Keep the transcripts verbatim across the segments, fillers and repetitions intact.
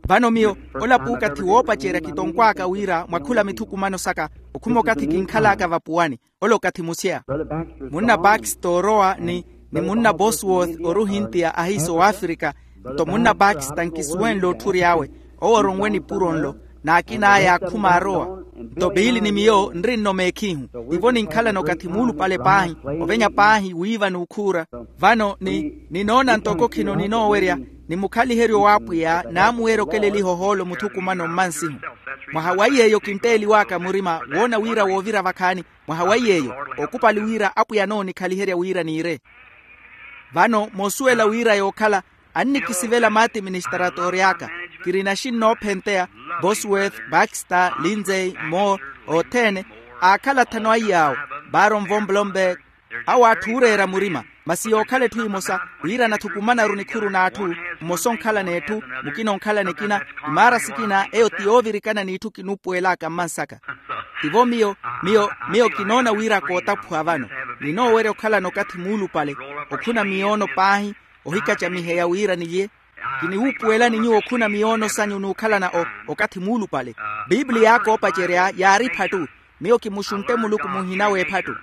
Vano miyo, ola puukathi woopacerya kitonkwaaka wira mwa khula mithukumano saka, okhuma okathi kinkhalaka vapuwani. Ola okathi museya. Munna baxter orowa ni, ni munna bosworth oruhintiya ahiiso w'afrika. Nto munna baxter nkisuwenle otthuri awe, owo oronwe nipuro nlo, n'akin'aya akhuma arowa. Nto piili ni miyo nrinno meekhihu. Tivo ninkhalana okathi muulupale paahi, ovenya paahi wiiva n'ukhuura. Vano ni, ninoona ntoko khino ninoowerya, ni mukhaliheryo w'apwiya naamuweerya okeleliha ohoolo muthukumano mmansihu. Mwaha wa iy'eyo kintteeliw'aka murima woona wira woovira vakhaani. Mwaha wa iy'eyo, okupali wira apwiya anoonikhaliherya wira niire. Vano moosuwela wira yookhala, annikisivela maati ministaratoori aka. Kirina xinnoophenteya, bosworth, baxter, lindsay, moore, othene, aakhala athanu a iy'awo, baron von blomberg. Awo atthu ooreera murima, masi yookhala etthu emosa, wira anathukumanaru nikhuru n'atthu. Mmosa onkhala n'etthu, mukina onkhala n'ekina. Imaara sikina eyo ti yoovirikana n'itthu kinuupuwel'aka mmansaka. Tivo miyo, miyo, miyo kinoona wira kootaphuwa vano. Ninoowerya okhalana okathi muulupale, okhuna miyoono paahi, ohikacamiheya wira nilye. Kiniwuupuwelani nyuwo okhuna miyoono sanyu n'ukhalana o, okathi muulupale. Piipiliya aka oopacerya yaari ephattu. Miyo kimuxuntte muluku muhina w'ephattu.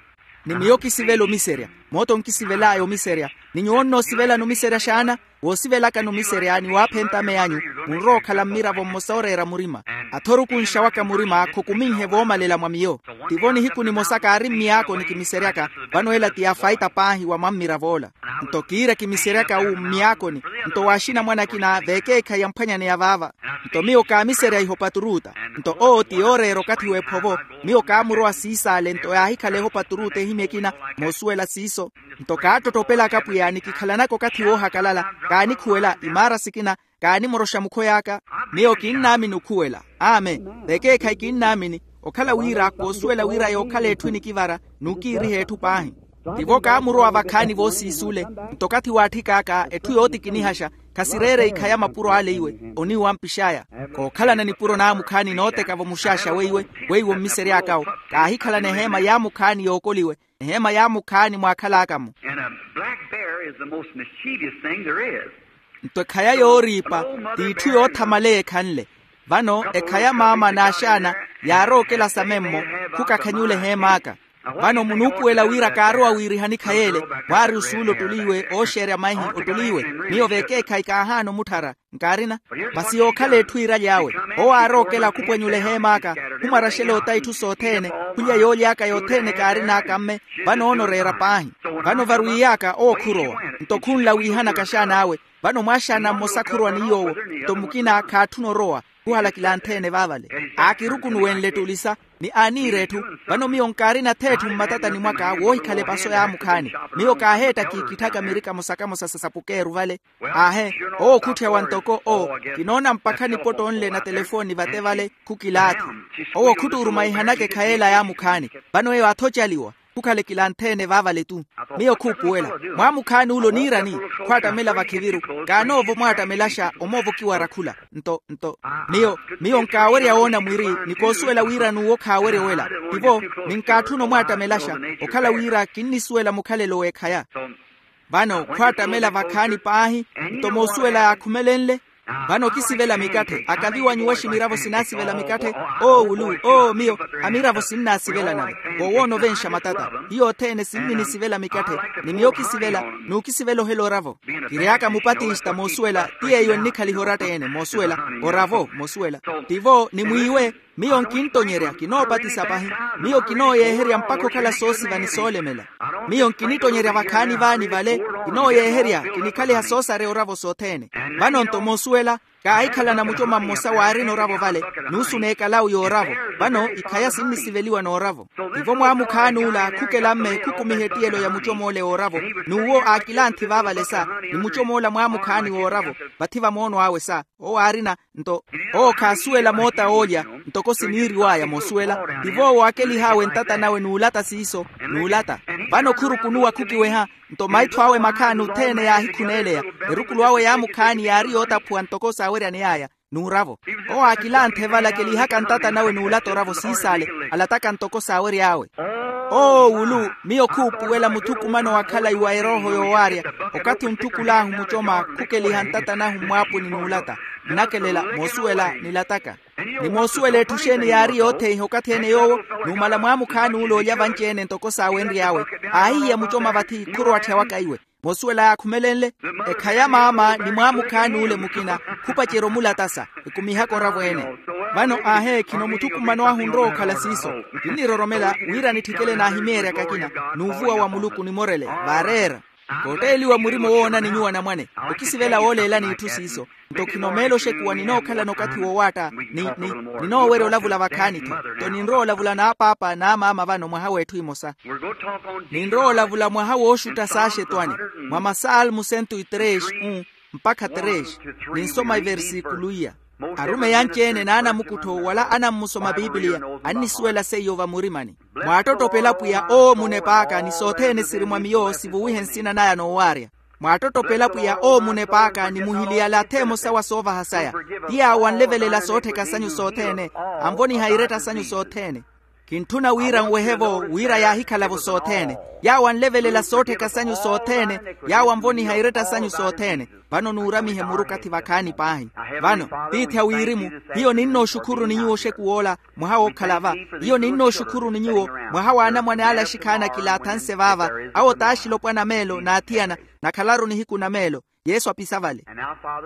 Ni miyo kisivela omiserya. Moota onkisivel'aya omiserya. Ni nyuwo onnoosivelani omiserya xaana? Woosivelakani omiserya ni waaphenta ame anyu, munrowa okhala mmiravo mmosa ooreera murima. Athorukunxa waka murima khokuminhe voomalela mwa miyo. Tivo nihiku nimosa kaari mmiyaakoni kimiseryaka. Vano ela ti yaafaita paahi wa mwa mmirav'ola. Nto kiira kimiseryaka wu mmiyaakoni. Nto waaxina mwanakina veekeekhayi yamphwanyaneya vaava. Nto miyo kaamiserya iho paturuta. Nto owo ti yooreera okathi w'ephovo. Miyo kaamurowa siisaale nto yaahikhala eho paturuta ehimya ekina. Moosuwela siiso. Nto kaattottopelaka pwiya ni kikhalanaka okathi woohakalala. Kaanikhuwela imaara sikina. Kaanimoroxa mukhoy'aka. Miyo kinnaamini okhuwela. Amen. Vekeekhayi kinnaamini. Okhala wira koosuwela wira yookhala etthu enikivara n'ukiiriha etthu paahi. Tivo kaamurowa vakhaani voosiisule. Nto okathi waatthik'aka etthu yootikinihaxa. Khasireere ikhaya mapuro ale iwe. Oniiwa mpix'aya. Kookhalana nipuro n'amukhaani nooteka-vo muxaxa weiwe. Weiwo mmisery'aka-wo. Kaahikhalana eheema y'amukhaani yookoliwe. Eheema y'amukhaani mwaakhal'aka-mo. And a black bear is the most mischievous thing there is. Nto ekhaya yooriipa t'itthu yoothamaleya ekhanle. Vano ekhaya maama n'axaana yaarowa okela samemmo. Khukakhanyula eheem'aka. Vano munuupuwela wira kaarowa wiirihani khay'ele. Mwaari osuula ottuli iwe ooxeerya maihi ottuli iwe. Miyo vekeekhayi kaahaana omutthara. Nkaarina. Masi yookhala etthu iiraly'awe. Owo aarowa okela khupwenyula eheem'aka. Khumwaraxela ota itthu sothene. Khulya yooly'aka yothene kaarin'aka mme. Vano onoreera paahi. Vano varwiiy'aka owo khurowa. Nto khunla wiihanaka axaan'awe. Vano mwaaxaana mmosa khurowa ni yoowo. Nto mukina khaatthuna orowa. Khuhala kilantheene vaavale. Aakirukunuwenle ettulisa. Ni aaniira etthu. Vano miyo nkaarina ath'etthu mmatatani mwaka woohikhala epaso y'amukhaani. Miyo kaaheetta kiikitthaka miri kamosa-kamosa sa sapukeeru vale. Aahe. Owo khutthiya wa ntoko owo. Kinoona mpakha nipotto nle na telefooni vate vale. Khukilaathi. Owo khuttuurumaihanaka ekhay'ela y'amukhaani. Vano eyo aathoci aliwa. Khukhale kilantheene vaavale-tu. Miyo khuupuwela. Mwaamukhaani ule oniirani? Khwaattamela vakhiviru. Kaanoovo mwaattamelaxa omoova okiwara khula. Nto nto miyo miyo nkaawerya woona mwiri. Ni koosuwela wira n'uwo khaawerya owela. Tivo. Ninkaatthuna omwaattamelaxa. Okhala wira kinnisuwela mukhalelo w'ekhaya. Vano khwaattamela vakhaani paahi. Nto moosuwela yaakhumelenle. Vano okisivela mikatthe akaviwa nyuwaxi miravo sinaasivela mikatthe. Oo wulu oo miyo. Amiravo sinnaasivela nave. Vowoona ovenxa matata. Hiyo othene sinninisivela mikatthe. Ni miyo okisivela. N'ukisivela ohela oravo. Kiry'aka mupatista moosuwela. Ti yeeyo ennikhaliha oratta-ene moosuwela. Oravo moosuwela. Tivo ni mwiiwe. Miyo nkinttonyerya kinoopatisa pahi. Miyo kinooyeeherya mpakha okhala soosiva ni soolemela. Miyo nkinittonyerya vakhaani vaani vale. Kinooyeeherya kinikhaliha soosareya oravo sothene. Vano-nto moosuwela. Kaahikhalana mucoma mmosa waarina oravo vale. Nuusu n'ekalau y'oravo. Vano ikhaya sinnisiveliwa n'oravo. Tivo mwaamukhaani ula khukela mme khukumiha ettiyelo ya mucom'ole w'oravo. N'uwo aakilanthi vaavale sa. Ni mucom'ola mwaamukhaani w'oravo. Vathi vamoono awe sa. Owo aarina. Nto owo khaasuwela moota oolya. Ntoko siniiriw'aya moosuwela. Tivo owo aakelih'awe ntata nawe n'ulata siiso. N'ulata. Vano khurukunuwa khukiweha. Nto maitho awe makhaani othene yaahikhuneeleya. Erukulu awe y'amukhaani yaari yootaphuwa ntoko saaweryaney'aya. N'uravo. Owo aakilanthe vala akelihaka ntata nawe n'ulata oravo siisaale. Alataka ntoko saawery'awe. Oo wulu. Miyo khuupuwela muthukumano wa khalayi wa erooho yoowaarya. Okathi ontthukul'ahu mucoma khukeliha ntata nahu mmwaapuni n'ulata. Nnakelela moosuwela nilataka. Ni moosuwela etthu exeeni yaari yootheiha okathi ene yoowo numala mwaamukhaani ule olya vanci-ene ntoko saawenry'awe, aahihiya mucoma vathi khurowattheya waka iwe. Moosuwela yaakhumelenle, ekhaya maama ni mwaamukhaani ule mukina khupacerya omulatasa, ekumihaka oravo-ene. Vano aahe khino muthukumano ahu onrowa okhala siiso. Kinniroromela wira nitthikele naahimeeryaka akina n'uvuwa wa muluku nimorele vaareera. Kootteliwa murima owoonani nyuwo anamwane. Okisivela wooleelani itthu siiso. Nto khino meelo oxekuwa ninookhalana okathi wowaatta, ni ni ninoowerya olavula vakhaani-tho. Nto ninrowa olavula n'apaapa n'amaama vano mwaha w'etthu imosa. Ninrowa olavula mwaha wooxutta saaxetwani, mwa masalmu sento e tres, un mpakha tres. Ninsoma iversikulu iya. Arumeyi anci-ene n'anamukuttho wala anammusoma pipiliya annisuwela seiyo vamurimani. Mwaattottopela pwiya owo munep'aka ni sothene siri mwa miyo sivuwihe nsina naya noowaarya. Mwaattottopela pwiya owo munep'aka ni muhiliyala atha emosa wa soovaha saya. Ti yaawo anlevelela soottheka sanyu sothene, anvoniha iretta sanyu sothene. Kintthuna wira nwehe-vo wira yaahikhala-vo sothene. Yaawo anlevelela soottheka sanyu sothene, yaawo anvoniha iretta sanyu sothene. Vano nuuramihe muru okathi vakhaani paahi. Vano tiithi a wirimu, hiyo ninnooxukhuruni nyuwo oxekuw'ola, mwaha wookhala va. Hiyo ninnooxukhuruni nyuwo mwaha w'anamwane ale axikhaani akilaathanse vaava. Awo t'axilopwana meelo n'athiyana, nakhalaru nihiku na meelo. Yesu apisa vale.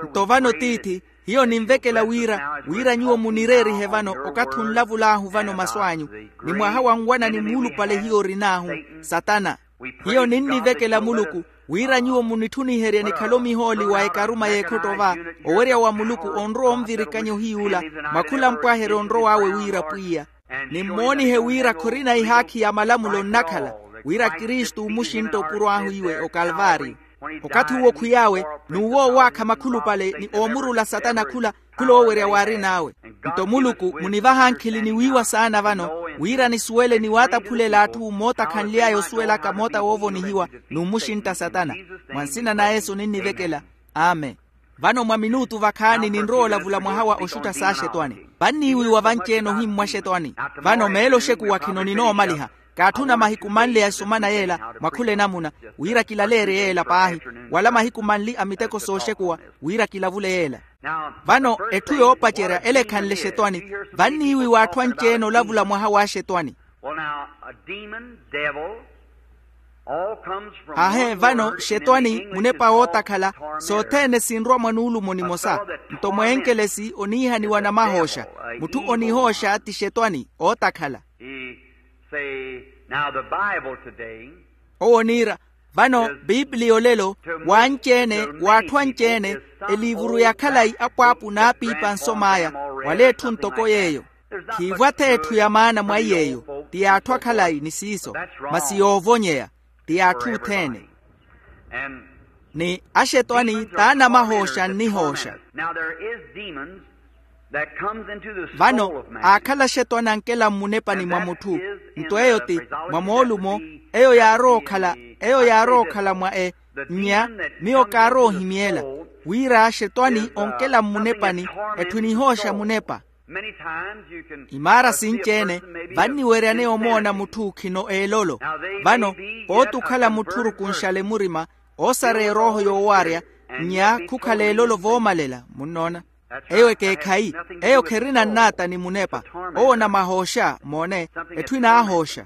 Nto vano tiithi, hiyo ninvekela wira wira nyuwo munireerihe vano okathi onlavul'ahu vano masu anyu, ni mwaha wa nwanani muulupale hiyo orin'ahu, satana. Hiyo ninnivekela muluku wira nyuwo munitthuniherye nikhale omihooli wa ekaruma y'ekhotto va, owerya wa muluku onrowa onvirikanya ohiy'ula, mwa khula mpwaheryo onrow'awe wira pwiya. Nimmoonihe wira khorina ihaakhi ya malamulo nnakhala, wira kristu omuxintta opuro ahu iwe okalvaariyo. Okathi uwo khwiy'awe, n'uwo owaakha makhulupale ni oomurula satana khula khula owerya waarin'awe. Nto muluku munivaha ankhili ni wiiwa saana vano, wira nisuwele ni waataphulela atthu mootakhanly'aya osuwelaka moota woovonihiwa n'umuxintta satana. Mwa nsina na yesu ninnivekela. Amen. Vano mwa minuutu vakhaani ninrowa olavula mwaha wa oxutta saaxetwani. Vanniiwiwa vanci-ene ohimmwa axetwani. Vano meelo oxekuwa khino ninoomaliha. Kaatthuna mahiku manli a esumana yeela mwa khula enamuna, wira kilaleerye yeela paahi, wala mahiku manli a miteko sooxekuwa, wira kilavule yeela. Vano etthu yoopacerya ele ekhanle xetwani. Vanniiwiwa atthu anci-ene olavula mwaha w'axetwani. Aahe vano xetwani munepa wootakhala, sothene sinrwa mwa nuulumo nimosa. Nto mweenkelesi oniihaniwa namahooxa. Mutthu onihooxa ti xetwani ootakhala. Owo oniira, vano pipiliya olelo, w'anci-ene w'atthu anci-ene, eliivuru ya khalayi apwaapu n'apiipa nsom'aya, wala etthu ntoko yeeyo. Khiivo ath'etthu ya maana mwa iy'eyo, ti y'atthu akhalayi ni siiso, masi yoovonyeya, ti y'atthu othene. Ni axetwani t'anamahooxa nnihooxa. Vano aakhala axetwani ankela mmunepani mwa mutthu. Nto eyo ti mwa moolumo, eyo yaarowa okhala, eyo yaarowa okhala mwa e nnya, miyo kaarowa ohimyela, wira axetwani onkela mmunepani, etthu enihooxa munepa. Imaara sinci-ene vanniweryaneya omoona mutthu khino eelolo. Vano pooti okhala mutthu orukunxale murima, oosareya erooho yoowarya, nnya khukhala eelolo voomalela munnoona. Eyo ekeekhayi, eyo kherina nnaata ni munepa. Owo onamahooxa moone, etthu enaahooxa.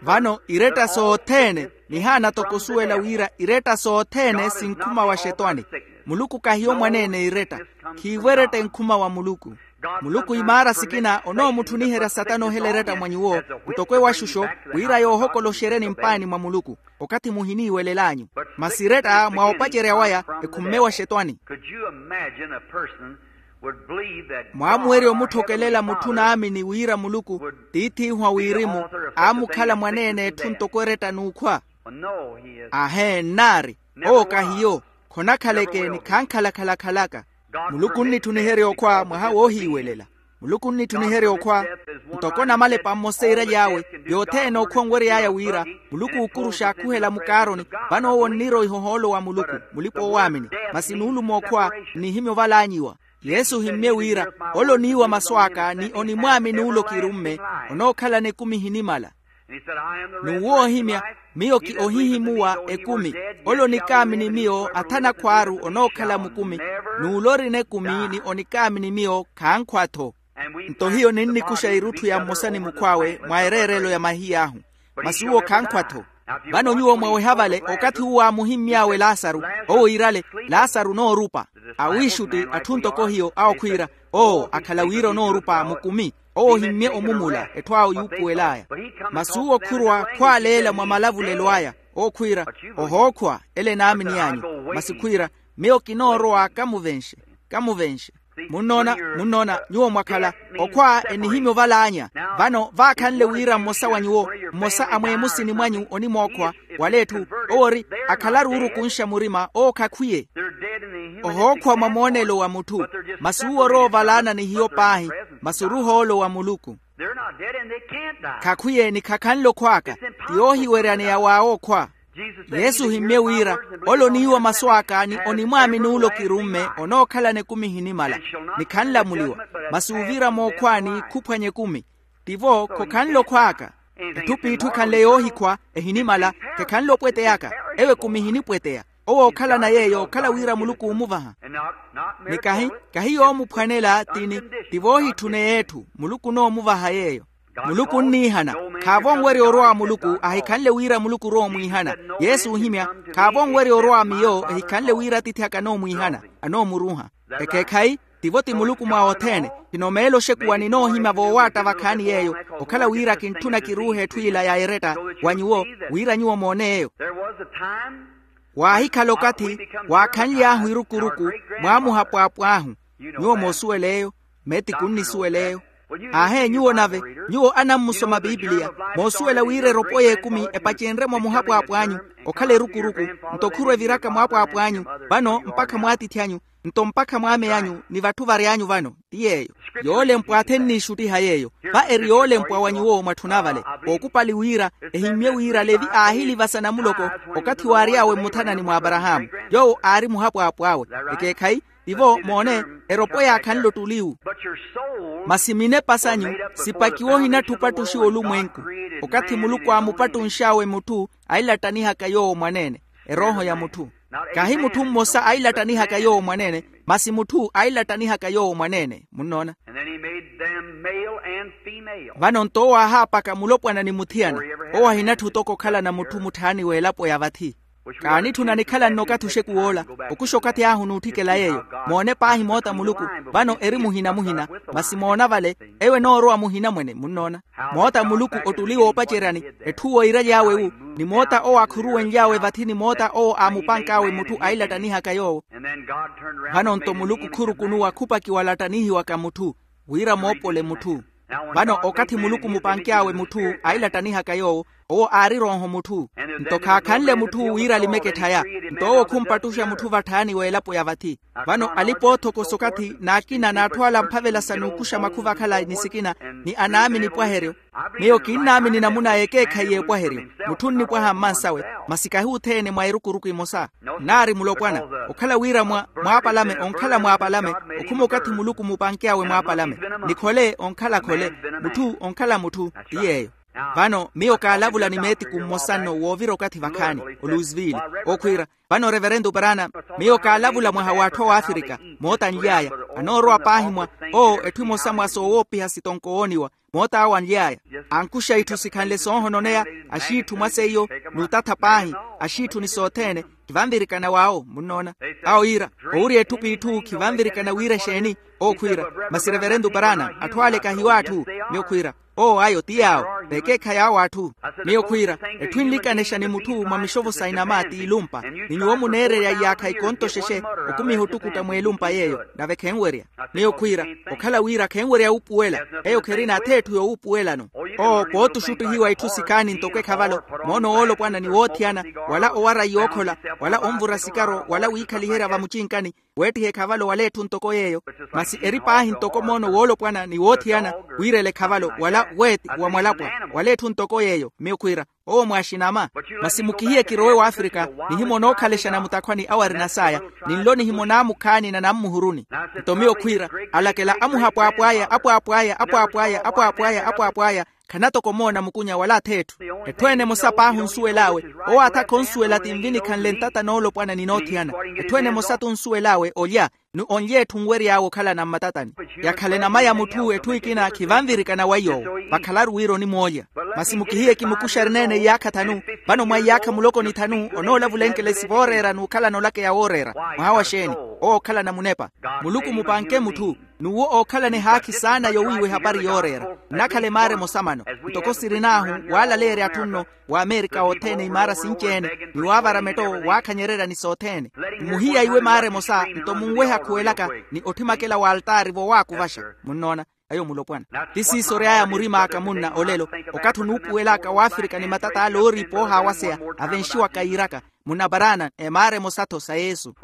Vano iretta sothene, nihaana toko osuwela wira iretta sothene sinkhuma wa xetwani. Muluku kahiyo mwaneene iretta. Khiivo eretta enkhuma wa muluku. Muluku imaara sikina onoomutthuniherya satana ohela eretta mwa nyuwo, ntoko ewaxuxo, wira yoohokoloxeryeni mpaani mwa muluku. Okathi muhiniiwelel'anyu. Masi eretta mwa opacerya waya, ekhumme wa xetwani. Mwaamuwerya omutthokelela mutthu naamini wira muluku tiith'ihu a wirimu, aamukhala mwaneene etthu ntoko eretta n'ukhwa? Ahee nnaari. Owo kahiyo. Khonakhaleke ni khankhalakhala khalaka. Muluku onnitthuniherya okhwa mwaha woohiiwelela. Muluku onnitthuniherya okhwa. Ntoko namalepa mmosa eiraly'awe, yothene okhwa onwery'aya wira muluku ookuruxa akhuhela mukaaroni. Vano owo onniroiha ohoolo wa muluku, mulipa-oowaamini. Masi nuulumo okhwa nnihimya oval'anyu iwa. Yesu ohimmye wira, ole oniiwa masu aka ni onimwaamini ole okirumme, onookhalana ekumi ehinimala. N'uwo ohimya, miyo ki ohihimuwa ekumi. Ole onikaamini miyo athana akhwaaru onookhala mukumi. N'ule orina ekumi ni onikaamini miyo khankhwa-tho. Nto hiyo ninnikuxa irutthu ya mmosa ni mukhw'awe mwa ereerelo ya mahiya ahu. Masi uwo khankhwa-tho. Vano nyuwo mwaweha vale okathi uwo aamuhimmy'awe lasaru, owo iirale, lasaru onoorupa. Awiixutti atthu ntoko hiyo awo khwiira, owo akhala wira onoorupa mukumi. Owo ohimmye omumula etthu awo yuupuwel'aya. Masi uwo khurwa khwaaleela mwa malavulelo aya, owo khwiira, ohookhwa ele enaamini anyu. Masi khwiira, miyo kinoorowa kamuvenxe. Kamuvenxe. Munnoona, munnoona nyuwo mwakhala okhwa enihimya ovalaanya. Vano vaakhanle wira mmosa wa nyuwo, mmosa a mweemusini mwanyu onimookhwa, wala etthu, owo ori, akhalaru orukunxa murima owo khakhwiye. Ohookhwa mwa moonelo wa mutthu. Masi uwo orowa ovalaana ni hiyo paahi. Masi oruhoolo wa muluku. Khakhwiye ni khakhanle okhw'aka. Ti yoohiweryaneya w'awe okhwa. Yesu ohimmye wira, ole oniiwa masu aka ni onimwaamini ole okirumme onookhalana ekumi ehinimala, ni khanlamuliwa. Masi uviira mookhwani khuphwanya ekumi. Tivo khokhanle okhw'aka. Etthu p'itthu ekhanle yoohikhwa, ehinimala, khekhanle opweteyaka. Ewo ekumi ehinipweteya. Owo ookhalana yeeyo okhala wira muluku oomuvaha. Ni kahi, kahi yoomuphwanela tini. Ti voohitthuneye etthu muluku onoomuvaha yeeyo. Muluku onniihana. Khaavo onwerya orowa wa muluku ahikhanle wira muluku orowa omwiihana. Yesu oohimya, khaavo onwerya orowa wa miyo ehikhanle wira atiithi aka anoomwiihana, anoomuruuha. Ekeekhayi, tivo ti muluku mwa othene. Tino meelo oxekuwa ninoohimya voowaatta vakhaani yeeyo, okhala wira kintthuna kiruuhe etthu ila ya eretta wa nyuwo, wira nyuwo moone eyo. Waahikhala okathi waakhanly'ahu irukuruku, mwaamuha pwaapw'ahu. Nyuwo moosuwela eyo. Meetiku onnisuwela eyo. Aahee nyuwo nave, nyuwo anammusoma pipiliya, moosuwela wira eropo y'ekumi epacenrye mwa muhapwaapw'anyu, okhala erukuruku, nto khurwa eviraka mwaapwaapw'anyu, vano mpakha mwaatiithi anyu, nto mpakha mwaame anyu ni vatthu vary'anyu vano. Ti yeeyo. Yoolempwa athenniixuttiha yeeyo. Va eri yoolempwa wa nyuwo mwatthuna vale. Ookupali wira, ehimmye wira levi aahilivasa namuloko, okathi waary'awe mmuthanani mwa aparahaamu. Yoowo aari muhapwaapw'awe. Ekeekhayi, tivo moone, eropo yaakhanle ottuliwu. Masi minepa sanyu sipakiwe ohinattha opattuxiwa olumwenku. Okathi muluku aamupattunx'awe mutthu, ailattanihaka yoowo mwaneene. Erooho ya mutthu. Kahi mutthu mmosa ailattanihaka yoowo mwaneene, masi mutthu ailattanihaka yoowo mwaneene. Munnoona? Vano nto owo aahaapaka mulopwana ni muthiyana. Owo ahinattha otoko okhalana mutthu mutthaani w'elapo ya vathi. Kaanitthuna nikhala nno okathi oxekuw'ola, okuxa okathi ahu n'utthikela yeeyo. Moone paahi moota muluku. Vano eri muhina muhina. Masi moona vale, ewo enoorowa muhina mwene munnoona. Moota muluku ottuli woopaceryani, etthu woiraly'awe wu, ni moota owo akhuruwenly'awe vathi ni moota owo aamupank'awe mutthu ailattanihaka yoowo. Vano nto muluku khurukunuwa khupakiwa alattanihiwaka mutthu, wira moopole mutthu. Vano okathi muluku mupanky'awe mutthu ailattanihaka yoowo, owo aari erooho mutthu. Nto khaakhanle mutthu wira alimeke etthaya. Nto owo khumpattuxa mutthu vatthaani w'elapo ya vathi. Vano alipa oothokosa okathi n'akina n'atthu ala amphavela sa n'ukuxa makhuva akhala ni sikina, ni anaamini epwaheryo. Miyo kinnaamini namuna y'ekeekhayi y'epwaheryo. Mutthu onnipwaha mmansawe, masi kahi othene mwa erukuruku emosa. Nnaari mulopwana, okhala wira mwa mwaapalame onkhala mwaapalame, okhuma okathi muluku mupanky'awe mwaapalame. Ni khole onkhala khole, mutthu onkhala mutthu. Ti yeeyo. Vano miyo kaalavula ni meetiku mmosa nno woovira okathi vakhaani, oluisville, okhwiira. Vano reverento brana, miyo kaalavula mwaha w'atthu a wafirika. Moota anly'aya, anoorowa paahi mwa, owo etthu emosa mwa soowoopiha sitonko wooniwa. Moota awo anly'aya, ankuxa itthu sikhanle soohononeya. Axiitthu mwa seiyo, n'utatha paahi. Axiitthu ni sothene, khivanvirikana w'awo munnoona. Awo yiira, owurya etthu p'itthu khivanvirikana wira exeeni? Owo khwiira, masi reverento brana, atthu ale kahiyo atthu? Miyo khwiira, owo ayo ti yaawo. V'ekeekhayi awo atthu. Miyo khwiira, etthu enlikanexa ni mutthu mwa mixovo sa inama t'ilumpa, ni nyuwo muneererya iyaakha ikonto xexe, okumiha ottukutta mw'elumpa yeeyo. Nave khenwerya. Miyo khwiira, okhala wira khenwerya wuupuwela. Eyo kherina ath'etthu yoowuupuwelano. Owo pootuxuttihiwa itthu sikhaani ntoko ekhavalo, moono woolopwana ni woothiyana, wala owara yookhola, wala onvura sikaro wala wiikhaliherya vamucinkani, weettiha ekhavalo wala etthu ntoko yeeyo. Masi eri paahi ntoko moono woolopwana ni woothiyana, wiirela ekhavalo wala weeti wa mwalapwa, wala etthu ntoko yeeyo. Miyo khwiira, owo mwaaxinama. Masi mukihiye kirowe wafrika, nihimwa onookhalexa namutakhwani awo arina saya, ni nlo nihimwa onaamukhaani na nammuhuruni. Nto miyo khwiira, alakela amuhapwaapw'aya apwaapw'aya apwaapw'aya apwaapw'aya apwaapw'aya. Khanatoko omoona mukunya wala ath'etthu. Etthu ene emosa paahi onsuwel'awe. Owo athakha onsuwela ti nvinikhanle ntata noolopwana ni noothiyana. Etthu ene emosa t'onsuwel'awe olya ni onlya etthu nwery'awe okhalana mmatatani. Yakhala enama ya mutthu etthu ekina khivanvirikana wa iy'owo. Vakhalaru wira onimoolya. Masi mukihiye kimukuxari neene iyaakha thanu. Vano mwa iyaakha muloko ni thanu onoolavulenkela esiva ooreera n'ukhalana olakeya wooreera. Mwaha wa xeeni? Owo okhalana munepa. Muluku mupanke mutthu. N'uwo ookhalana ehaakhi saana yowiiwa ehapari yooreera. Nnakhala emaara emosa mano. Ntoko sirin'ahu waalaleerya atthu nno w'amerika othene imaara sinci-ene ni waavara metto waakhanyereryani sothene. Mmuhiya iwe maara emosa nto munwehe akhuwelaka ni otthimakela w'altaari vowaakuvaxa. Munnoona? Ayo mulopwana. Ti siiso ory'aya murim'aka munna olelo. Okathi onuupuwel'aka w'afirika ni matat'ale ooriipa oohaawaseya avenxiwaka yiiraka munna paraana emaara emosa-tho sa yesu.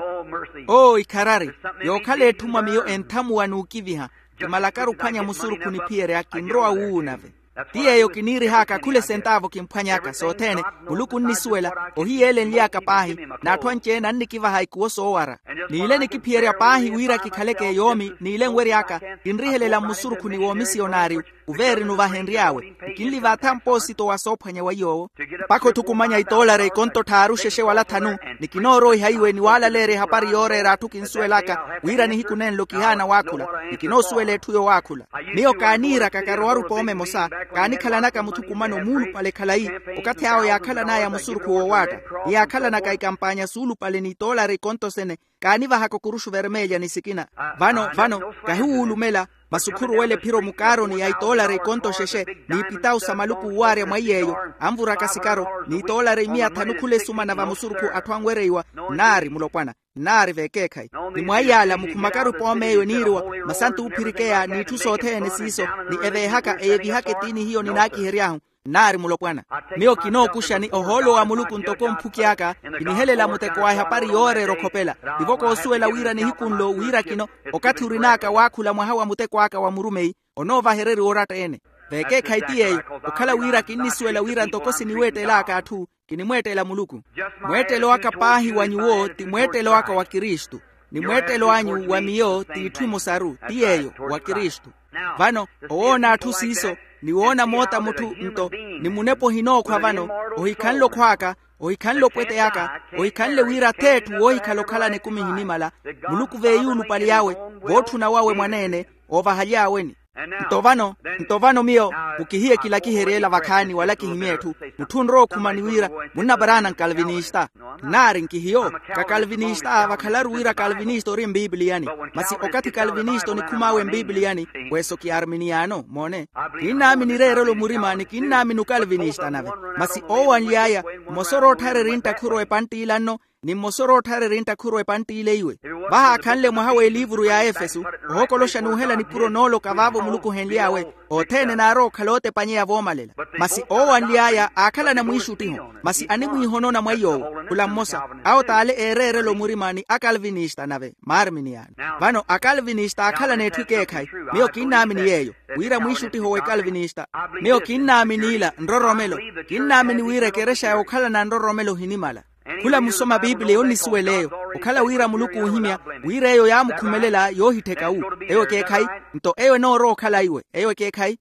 Oo ikharari. Yookhala etthu mwa miyo enthamuwa n'ukiviha. Kimalakaru ophwanya musurukhu niphiyerya kinrowa wuuwu nave. Ti yeeyo kiniirih'aka khula esentaavo kimphwany'aka sothene. Muluku onnisuwela ohiyeelenly'aka paahi n'atthu anci-ene annikivaha ikuwo soowara. N'ile nikiphiyerya paahi wira kikhaleke yoomi n'ile nwery'aka kinrihelela mmusurukhuni w'omisiyonari. Uveerina ovahenry'awe nkinlivaatha mpoosito wa soophwanya wa iy'owo. Mpakha otthukumanya itoolari ikonto tthaaru xexe wala thanu. Ni kinooroiha iwe ni waalaleerya ehapari yooreera atthu kinsuwel'aka wira nihiku nenlo kihaana waakhula. Ni kinoosuwela etthu yowaakhula. Miyo kaaniiraka karowaru pooma emosa. Kaanikhalanaka mutthu kumano muulupale khalayi okathi awo yaakhalan'aya musurukhu woowaatta. Ni yaakhalanaka ikampaanya suulupale n'itoolari ikonto sene. Kaanivahaka okuruxu vermelya ni sikina. Vano vano kahiwuulumela. Masi okhuruwela ephiro mukaaroni ya itoolari ikonto xexe n'ipitawu sa maluku owaarya mwa iy'eyo. Anvuraka sikaro n'itoolari imiya thanu khula esumana vamusurukhu atthu anwereiwa. Nnaari mulopwana. Nnaari vekeekhayi. Ni mwa iyaala mukhumakaru pooma eyo eniiriwa masantu oophirikeya n'itthu sothene siiso. Ni eveehaka eyevihaka etiini hiyo ninaakihery'ahu. Nnaari mulopwana. Miyo kinookuxa ni ohoolo wa muluku ntoko mphuki aka. Kinihelela muteko wa ehapari yooreera okhopela. Tivo koosuwela wira nihiku nlo wira kino okathi orin'aka waakhula mwaha wa muteko aka wa murumeyi. Onoovahereriwa oratta-ene. Vekeekhayi ti yeeyo. Okhala wira kinnisuwela wira ntoko siniweettel'aka atthu. Kinimweettela muluku. Mweettelo aka paahi wa nyuwo ti mweettelo aka wa kristu. Ni mweettelo anyu wa miyo t'itthu emosaru ti yeeyo wa kristu. Vano owoona atthu siiso ni woona moota mutthu nto ni munepa ohinookhwa vano. Ohikhanle okhw'aka. Ohikhanle opwetey'aka. Ohikhanle wira ath'etthu woohikhala okhalana ekumi ehinimala. Muluku veeyuulupale awe vootthuna wawe mwaneene. Oovahaly'aweni. Nto vano nto vano miyo mukihiye kilakiherye ela vakhaani wala kihimye etthu. Mutthu onrowa okhuma ni wira munnaparaana nkalvinista. Nnaari nkihiyo kakalvinista vakhalaru wira kalvinista ori mpiipiliyani. Masi okathi kalvinista onikhum'awe mpiipiliyani weso ki arminiano moone. Kinnaamini ireerelo murima ni kinnaamini okalvinista nave. Masi oowanly'aya mmosa oroottharerya enttakhuro epantt'ila nno ni mmosa oroottharerya enttakhuro epantt'ile iwe. Vahaakhanle mwaha w'eliivuru ya efesu ohokoloxa n'uhela nipuro nooloka vaavo muluku ohenly'awe. Othene naarowa okhala ootepanyeya voomalela. Masi oowanly'aya aakhalana mwiixuttiho masi animwiihonona mwa iy'owo. Khula mmosa awo t'ale eereerela omurima ni akalvinista nave maarminiano. Vano akalvinista aakhalana etthu ekeekhayi. Miyo kinnaamini yeeyo wira mwiixuttiho w'ekalvinista. Miyo kinnaamini ila nroromelo. Kinnaamini wira ekerexa yookhalana nroromelo ohinimala. Khula musoma piipiliya onnisuwela eyo okhala wira muluku oohimya wira eyo yaamukhumelela yoohittheka wu. Eyo ekeekhayi. Nto eyo enoorowa okhala iwe eyo ekeekhayi.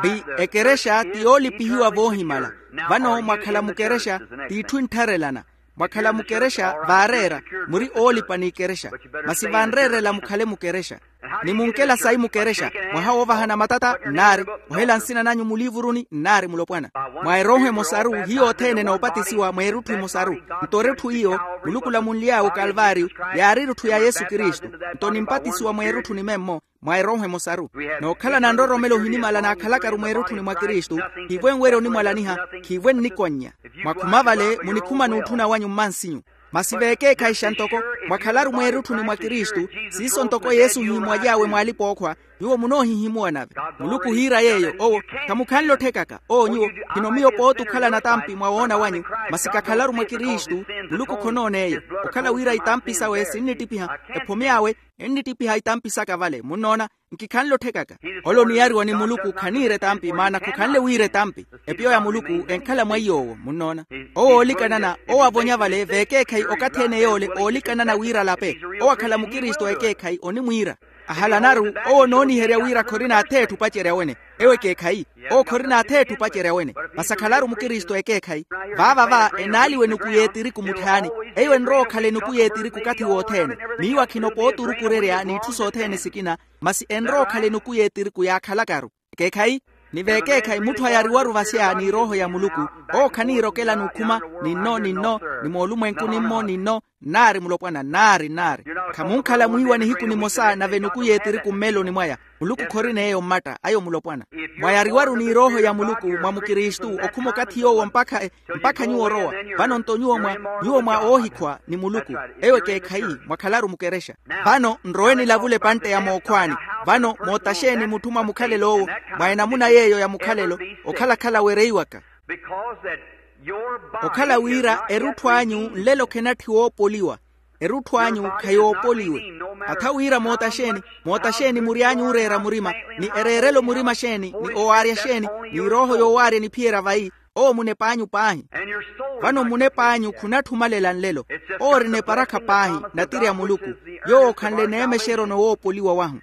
Pi ekerexa ti yoolipihiwa voohimala. Vano mwakhala mukerexa t'itthu enttharelana. Mwakhala mukerexa vaareera muri oolipa n'ikerexa. Masi vanreerela mukhale mukerexa ni munkela sayi mukerexa. Mwaha woovahana matata nnaari ohela nsina nanyu muliivuruni nnaari mulopwana. Mwa erooho emosaru hiyo othene enoopatisiwa mweerutthu emosaru. Nto erutthu iyo muluku olamunly'awe okalvaariyu yaari erutthu ya yesu kristu. Nto nimpatisiwa mweerutthu nimemmo mwa erooho emosaru. Nookhalana nroromelo ohinimala naakhalakaru mweerutthuni mwa kristu. Khiivo enwerya onimwalaniha. Khiivo ennikonnya. Mwakhuma vale munikhuma n'utthuna wanyu mmansinyu. Masi veekeekhayixa ntoko mwakhalaru mweerutthuni mwa kristu siiso ntoko yesu ohihimuwaly'awe mw'alipa-ookhwa. Nyuwo munoohihimuwa nave muluku ohiira yeeyo owo. Khamukhanle otthekaka oo nyuwo khino miyo pooti okhalana tampi mwa woona wanyu. Masi kakhalaru mwa kristu muluku khonoona eyo okhala wira itampi sawe sinnittiphiha ephome awe ennittiphiha itampi saka vale munnoona. Nkikhanle otthekaka ole oniyariwa ni muluku khaniira etampi maana khukhanle wiira etampi. Epiyo ya muluku enkhala mwa iy'owo munnoona. Owo oolikanana owo avonya vale veekeekhayi okathi ene yoole oolikanana wiira alape owo akhala mukristu ekeekhayi onimwiira. Ahalanaru owo onooniherya wira khorina atheetthu opacerya wene. Ewo ekeekhayi. Owo khorina atheetthu opacerya wene. Masi akhalaru mukristu ekeekhayi. Vaava va enaaliwa enuku y'etiriku mutthaani. Eyo enrowa okhala enuku y'etiriku okathi wothene. Miiwa khinopa oturukurerya n'itthu sothene sikina. Masi enrowa okhala enuku y'etiriku yaakhalakaru. Ekeekhayi. Ni veekeekhayi mutthu ayariwaru vasya ni erooho ya muluku. Owo khaniira okelani okhuma. Ninno ninno. Ni moolumwenku nimmo ninno. Nnaari mulopwana nnaari nnaari. Khamunkhala mwiiwa nihiku nimosa nave enuku y'etiriku mmeloni mwaya. Muluku khorina eyo mmatta ayo mulopwana. Mwayariwaru ni erooho ya muluku mwa mukristu okhuma okathi yoowo mpakha mpakha nyuwo orowa. Vano nto nyuwo mwa nyuwo mwa oohikhwa ni muluku. Eyo ekeekhayi. Mwakhalaru mukerexa. Vano nrowe nilavule epantte ya mookhwaani. Vano moota xeeni mutthu mwa mukhalelo owo mwa enamuna yeeyo ya mukhalelo okhalakhala wereiwaka. Okhala wira erutthu anyu nlelo khenatthiwa oopoliwa. Erutthu anyu khayoopoliwe. Atha wira moota xeeni moota xeeni mury'anyu ooreera murima ni ereerelo murima xeeni ni owaarya xeeni ni erooho yoowaarya eniphiyerya vayi. Owo munep'anyu paahi. Vano munep'anyu khunatthumalela nlelo. Owo ori neparakha paahi natiri a muluku. Yoowo khanle neemexeryo na owoopoliwa wahu.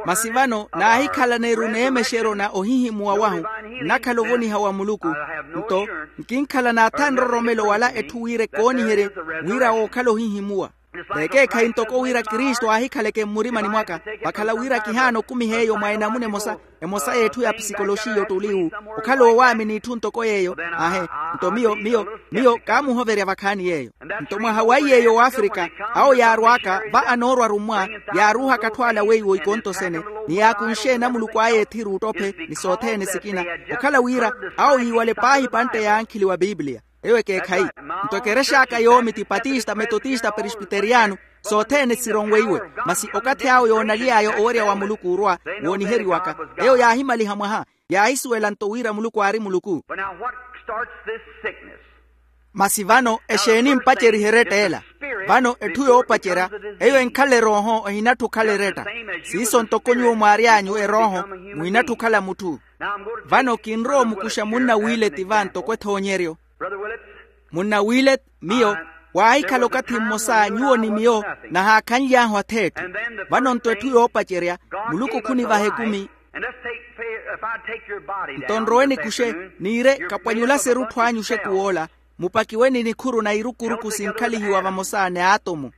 Masi vano naahikhalana-ru neemexeryo na ohihimuwa wahu nnakhala ovoniha wa muluku. Nto nkinkhala naatha nroromelo wala etthu wira ekooniherye wira wookhala ohihimuwa. Veekeekhayi ntoko wira kristu aahikhaleke mmurimani mwaka. Vakhala wira kihaana okumiha eyo mwa enamuna emosa emosa y'etthu ya psikoloxiya ottuliwu. Okhala oowaamini itthu ntoko yeeyo. Aahe. Nto miyo miyo miyo kaamuhoverya vakhaani yeeyo. Nto mwaha wa iy'eyo w'afrika awo yaarw'aka va anoorwa arummwa yaaruuhaka atthu ala weiwo ikontosene ni yaakunxe enamuluku aya ethiru ottophe ni sothene sikina. Okhala wira awo yiiwale paahi epantte ya ankhili wa pipiliya. Eyo ekeekhayi. Nto ekerex'aka yoomi ti patista metotista peresbiteriyano sothene sironweiwe. Masi okathi awo yoonaly'aya owerya wa muluku orwa wooniheriwaka. Eyo yaahimaliha mwaha yaahisuwela nto wira muluku aari muluku. Masi vano exeeni mpacerihe eretta ela? Vano etthu yoopacerya eyo enkhala erooho ehinatthu okhala eretta. Siiso ntoko nyuwo mwaary'anyu erooho muhinatthu okhala mutthu. Vano kinrowa omukuxa munna wileti va ntoko ethoonyeryo. Munna wileti miyo waahikhala okathi mmosa nyuwo ni miyo nahaakhanly'ahu atheetthu. Vano nto etthu yoopacerya muluku khunivaha ekumi. Nto nrowe nikuxe niire kapwanyulase erutthu anyu oxekuw'ola mupakiwe ni nikhuru na irukuruku sinkhalihiwa vamosa ni aatomu.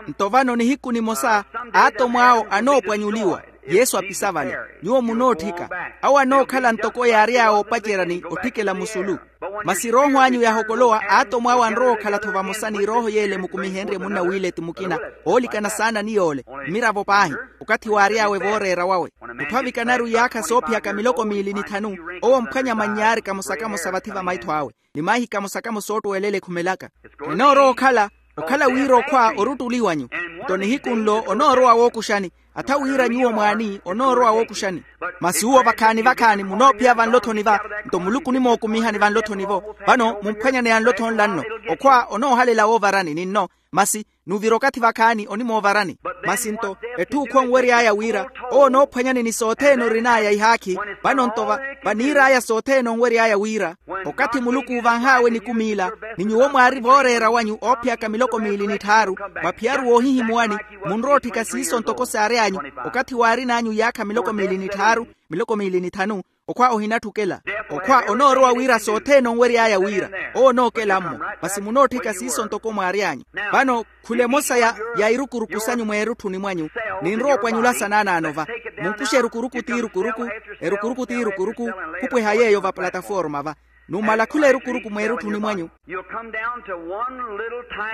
Nto vano nihiku nimosa aatomu awo anoopwanyuliwa. Yesu apisa vale. Nyuwo munootthika awo anookhala ntoko yaary'awe opacerya ni otthikela musulu. Masi erooho anyu yaahokolowa aatomu awo anrowa okhala-tho vamosa ni erooho y'ele mukumihenrye munna wileti mukina oolikana saana ni yoole mmiravo paahi okathi waary'awe vooreera wawe. Mutthu avikanaru iyaakha soophiyaka miloko miili ni thanu owo omphwanya mannyaari kamosa-kamosa vathi va maitho awe ni maahi kamosa-kamosa oottuwelela ekhumelaka. Enoorowa okhala okhala wira okhwa ori ottuli wanyu. Nto nihiku nlo onoorowa wookuxani atha wira nyuwo mwaani onoorowa wookuxani. Masi uwo vakhaani vakhaani munoophiya vanlo-thoni va nto muluku onimokumihani vanlo-thoni-vo. Vano mumphwanyane yanlo-tho nla nno okhwa onoohalela woovarani ni nno masi nuvira okathi vakhaani onimoovarani. Masi nto etthu okhwa onwery'aya wira owo onoophwanyani ni sothene orin'aya ihaakhi. Vano nto vaniir'aya sothene onwery'aya wira okathi muluku uuvanh'awe nikumi ila ni nyuwo mwaari vooreera wanyu oophiyaka miloko miili ni tthaaru mwaphiyaru woohihimuwani munrowa otthika siiso ntoko saary'anyu okathi waarin'anyu iyaakha miloko miili ni tthaaru miloko miili ni thanu okhwa ohinatthukela. Okhwa onoorowa wira sothene onwery'aya wira owo onookela-mmo masi munootthika siiso ntoko mwaary'anyu. Vano khula emosa ya irukuruku sanyu mweerutthuni mwanyu ninrowa opwanyulasa naanaano va. Munkuxe erukuruku t'irukuruku erukuruku t'irukuruku khupweha yeeyo va plataforma va numala khula erukuruku mweerutthuni mwanyu.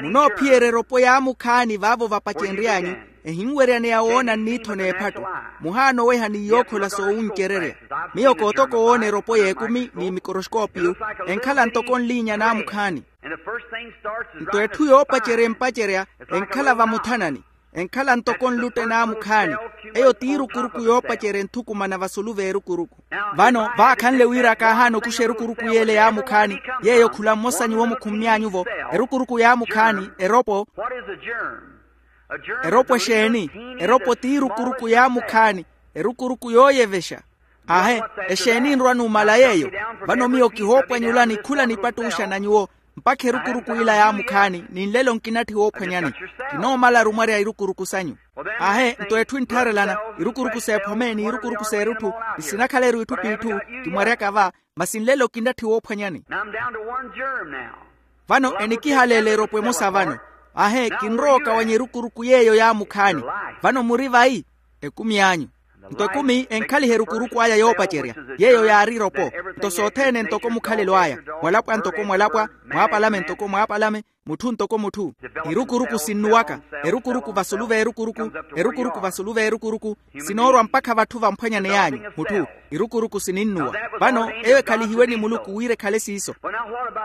Munoophiyerya eropo yaamukhaani vaavo vapacenry'anyu ehinweryaneya woona nniitho n'ephattu muhaana oweha ni yookhola soowuncererya. Miyo kootoka owoona eropo y'ekumi ni mikoroskoopiyu enkhala ntoko nliinya naamukhaani. Nto etthu yoopacerya empacerya enkhala vamuthanani enkhala ntoko nlutte naamukhaani. Eyo t'irukuruku yoopacerya enthukumana vasulu v'erukuruku. Vano vaakhanle wira kaahaana okuxa erukuruku y'ele yaamukhaani yeeyo khula mmosa nyuwo mukhummy'anyu-vo erukuruku yaamukhaani eropo. Eropo exeeni? Eropo t'irukuruku yaamukhaani erukuruku yooyevexa. Aahe. Exeeni enrwa numala yeeyo? Vano miyo kihoopwanyulani khula nipattuxa na nyuwo Mpakha erukuruku ila yaamukhaani ni nlelo nkinatthiwa ophwanyani. Kinoomalaru mwarya irukuruku sanyu. Aahe nto etthu enttharelana, irukuruku s'ephome ni irukuruku s'erutthu, ni sinakhaleru itthu p'itthu. Kimwaryaka va, masi nlelo kinnatthiwa ophwanyani. Vano enikihaleela eropo emosa vano. Aahe kinrowa okawanya erukuruku yeeyo yaamukhaani. Vano muri vayi? Ekumi anyu. Nto ekumi enkhaliha erukuruku aya yoopacerya, yeeyo yaari eropo. Nto sothene ntoko mukhalelo aya, mwalapwa ntoko mwalapwa, mwaapalame ntoko mwaapalame, mutthu ntoko mutthu. Irukuruku sinnuwaka, erukuruku vasulu v'erukuruku, erukuruku vasulu v'erukuruku. Sinoorwa mpakha vatthu vamphwanyaney'anyu mutthu. Irukuruku sininnuwa. Vano eyo ekhalihiwe ni muluku wira ekhale siiso.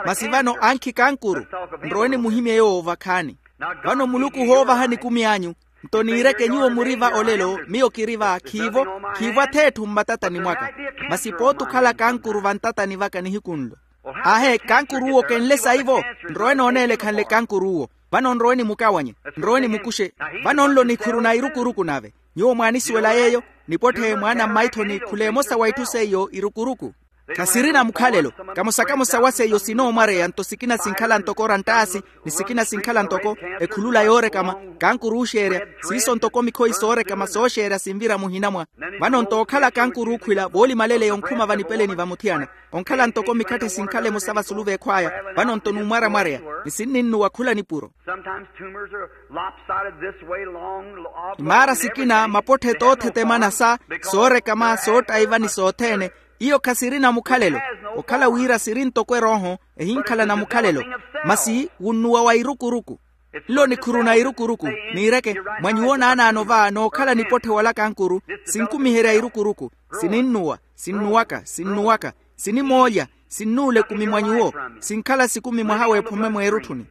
Masi vano ankhi kankuru, nrowe nimuhimye yoowo vakhaani. Vano muluku ohoovahani ekumi anyu. Nto niireke nyuwo muri va olelo miyo kiri va khiivo. Khiivo ath'etthu mmatatani mwaka. Masi pooti okhala kankuru vantatani vaka nihiku nlo. Aahe kankuruuwo kenle saivo. Nrowe nooneela ekhanle kankuruuwo. Vano nrowe nimukawanye, nrowe nimukuxe. Vano nlo nikhuru na irukuruku nave. Nyuwo mwaanisuwela yeeyo. Nipotthe mwaana mmaithoni khula emosa wa itthu seiyo irukuruku. Khasirina mukhalelo. Kamosa-kamosa wa seiyo sinoomwareya nto sikina sinkhala ntoko oranttaasi, ni sikina sinkhala ntoko ekhulula yoorekama, kankuruuxeerya. Siiso ntoko mikhoyi soorekama sooxeerya sinvira muhina mwa. Vano nto okhala kankuruukhwila voolimaleleya onkhuma vanipeleni va muthiyana. Onkhala ntoko mikhatthe sinkhala emosa vasulu v'ekhw'aya. Vano nto numwaramwareya, ni sinninnuwa khula nipuro. Imaara sikina mapotthe toothetemana sa soorekama soottaiva ni sothene. Iyo khasirina mukhalelo. Okhala wira siri ntoko erooho, ehinkhalana mukhalelo. Masi wunnuwa wa irukuruku. Nlo nikhuru na irukuruku. Niireke mwa nyuwo naanaano va nookhala nipotthe wala kankuru. Sinkumiherya irukuruku. Sininnuwa, sinnuwaka sinnuwaka. Sinimoolya. Sinnuula ekumi mwa nyuwo. Sinkhala sikumi mwaha w'ephome mweerutthuni.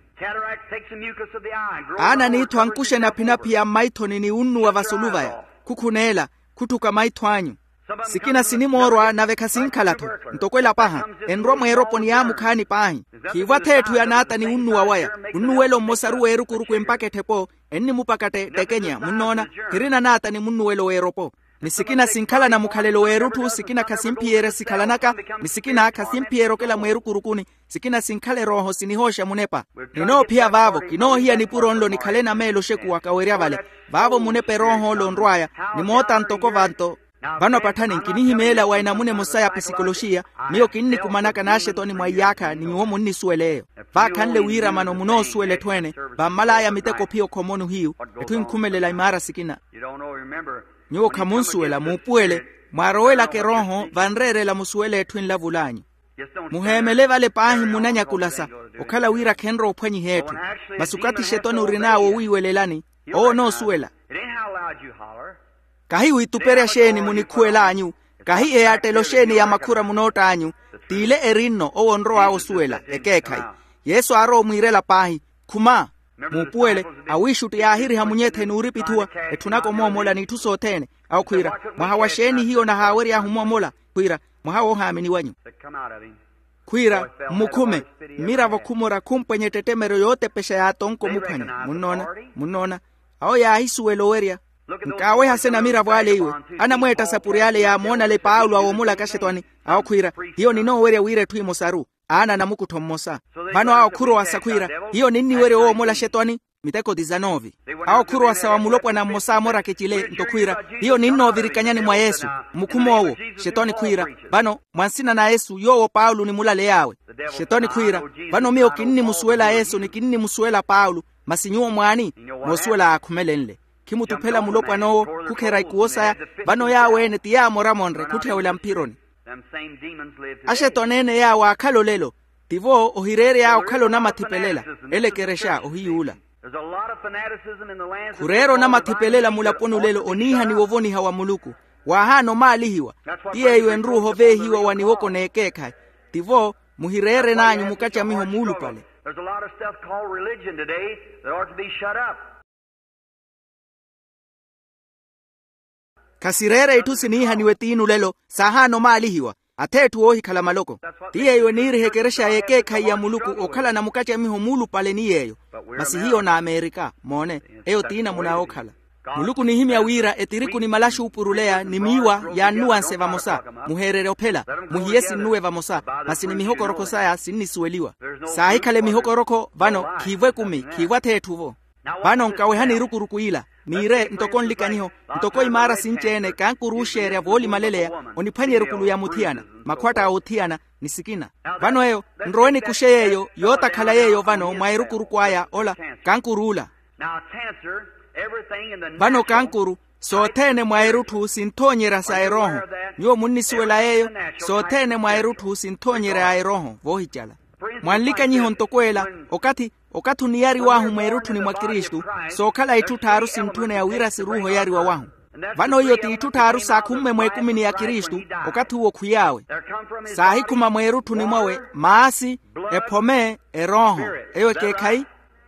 Aana n'itthu ankuxe naphinaphi ya mmaithoni ni wunnuwa vasulu vaya. Khukhuneela. Khutthuka maitho anyu. Sikina sinimoorwa nave khasinkhala-tho. Ntoko elapaha. Enrwa mweeroponi yaamukhaani paahi. Khiivo ath'etthu yanaata ni wunnuwa waya. Wunnuwelo mmosaru w'erukuruku empaka etthepo. Ennimupakattettekenya munnoona. Khirina naata ni munnuwelo w'eropo. Ni sikina sinkhalana mukhalelo w'erutthu sikina khasimphiyerya sikhalanaka. Ni sikina khasimphiyerya okela mweerukurukuni. Sikina sinkhala erooho sinihooxa munepa. Ninoophiya vaavo kinoohiya nipuro nlo nikhale nameelo oxekuwaka werya vale. Vaavo munepa erooho-lo onrw'aya. Nimoota ntoko vanto. Vano patthani nkinihimeela wa enamuna emosa ya pisikoloxiya. Miyo kinnikumanaka n'axetwani mwa iyaakha ni nyuwo munnisuwela eyo. Vaakhanle wiiramano munoosuwela etthu ene. Vammal'aya miteko phiyo khomoni ohiyu. Etthu enkhumelela imaara sikina. Nyuwo khamunsuwela muupuwele. Mwaarowelaka erooho vanreerela musuwele etthu enlavul'anyu. Muheemele vale paahi munanyakulasa. Okhala wira khenrowa ophwanyiha etthu. Masi okathi xetwani orin'awe owiiwelelani. Owo onoosuwela. Kahi wiituperya xeeni munikhuwel'anyu. Kahi eyaattelo xeeni ya makhura munoott'anyu. T'ile eri nno owo onrow'awe osuwela ekeekhayi. Yesu aarowa omwiirela paahi. Khuma. Muupuwele. Awiixutti yaahiriha munyethe n'uripithuwa. Etthunaka omoomola n'itthu sothene. Awo khwiira, mwaha wa xeeni hiyo nahaawery'ahu omoomola? Khwiira, mwaha woohaamini wanyu. Khwiira, mmukhume. Mmiravo khumora khumpwenya ettettemeryo yootepexa yaatonka omuphwanya. Munnoona? Munnoona? Awo yaahisuwela owerya. Nkaaweha se namiravo ale iwe. Anamweetta sapuri ale yaamoonale paulo awoomola kaxetwani. Awo khwiira, hiyo ninoowerya wira etthu emosaru. Aana anamukuttho mmosa. Vano awo khurowasa khwiira, hiyo ninniwerya owoomola xetwani. Miteko disanove. Awo khurowasa wa mulopwana mmosa amoraka ecile nto khwiira, hiyo ninnoovirikanyani mwa yesu. Mmukhum'owo. Xetwani khwiira, vano mwa nsina na yesu yoowo paulo onimulaley'awe. Xetwani khwiira, vano miyo kinnimusuwela yesu ni kinnimusuwela paulo. Masi nyuwo mwaani? Moosuwela yaakhumelenle. Khimutuphela mulopwan'owo. Khukhera ikuwo saya. Vano yaawo-ene ti yaamoramonre khutthiyawela mphironi. Axetwani ene yaawo aakhala olelo. Tivo ohireerey'awe okhala onamatthipelela. Ele ekerexa ohiy'ula. Khureera onamatthipelela mulaponi olelo oniihaniwa ovoniha wa muluku. Waahaana omaalihiwa. Ti yeeyo enruuha oveehiwa wa niwoko n'ekeekhayi. Tivo muhireeren'anyu mukacamiho muulupale. Khasireera itthu siniihaniwe tiini olelo. Saahaana omaalihiwa. Ath'etthu woohikhala maloko. Ti yeeyo eniiriha ekerexa y'ekeekhayi ya muluku okhalana mukacamiho muulupale ni yeeyo. Masi hiyo n'amerika moone. Eyo ti namuna yookhala. Muluku onihimya wira etiriku ni malaxu oopuruleya ni miiwa yaannuwanse vamosa. Muheererye ophela. Muhiye sinnuwe vamosa. Masi ni mihokorokho saya sinnisuweliwa. Saahikhala emihokorokho vano khiivo ekumi khiivo ath'etthu-vo. Vano nkawehani erukuruku ila. Miire ntoko nlikanyiho, ntoko imaara sinci-ene kankuruuxerya voolimaleleya oniphwanya erukulu ya muthiyana, makhwatta a othiyana, ni sikina. Vano eyo, nrowe nikuxe yeeyo yootakhala yeeyo vano mwa erukuruku aya ola kankuruula. Vano kankuru, sothene mwa erutthu sinthoonyerya sa erooho. Nyuwo munnisuwela yeeyo. Sothene mwa erutthu sinthoonyerya a erooho voohicala. Mwanlikanyiho ntoko ela, okathi okathi oniyariw'ahu mweerutthuni mwa kristu, sookhala itthu tthaaru sintthuneya wira siruuhe oyariwa wahu. Vano iyo t'itthu tthaaru saakhumme mweekumini ya kristu. Okathi uwo khwiy'awe saahikhuma mweerutthuni mwawe, maasi, ephome, erooho. Eyo ekeekhayi?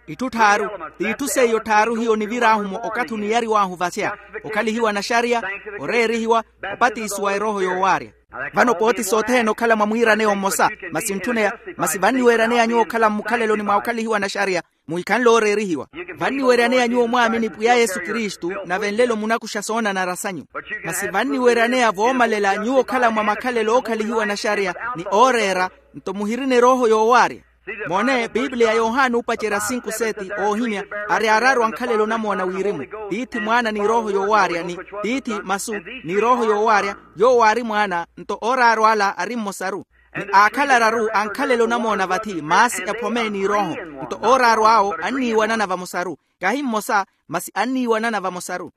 Itthu tthaaru. T'itthu seiyo tthaaru hiyo onivir'ahu-mo okathi oniyariw'ahu vasya, okhalihiwa naxariya, oreerihiwa, opatisiwa erooho yoowaarya. Vano pooti sothene okhala mwa mwiiraneya omosa. Masi ntthuneya, masi vanniweeraneya nyuwo okhala mmukhaleloni mwa okhalihiwa naxariya, muhikhanle ooreerihiwa. Vanniweeraneya nyuwo mwaamini pwiya yesu kristu, nave nlelo munakuxa soonanara sanyu. Masi vanniweeraneya voomalela nyuwo okhala mwa makhalelo ookhalihiwa naxariya, ni ooreera, nto muhirina erooho yoowaarya. Moone bibliya yohana oopacerya sinku seti oohimya, ari araru ankhalelo onamoona wirimu. Tiithi mwaana ni erooho yoowaarya ni, tiithi masu, ni erooho yoowaarya, yowo aari mwaana, nto ooraru ala ari mmosaru. Ni aakhala araru ankhalelo onamoona vathi maasi ephome ni erooho. Nto ooraru awo anniiwanana vamosaru. Kahi mmosa, masi anniiwanana vamosaru.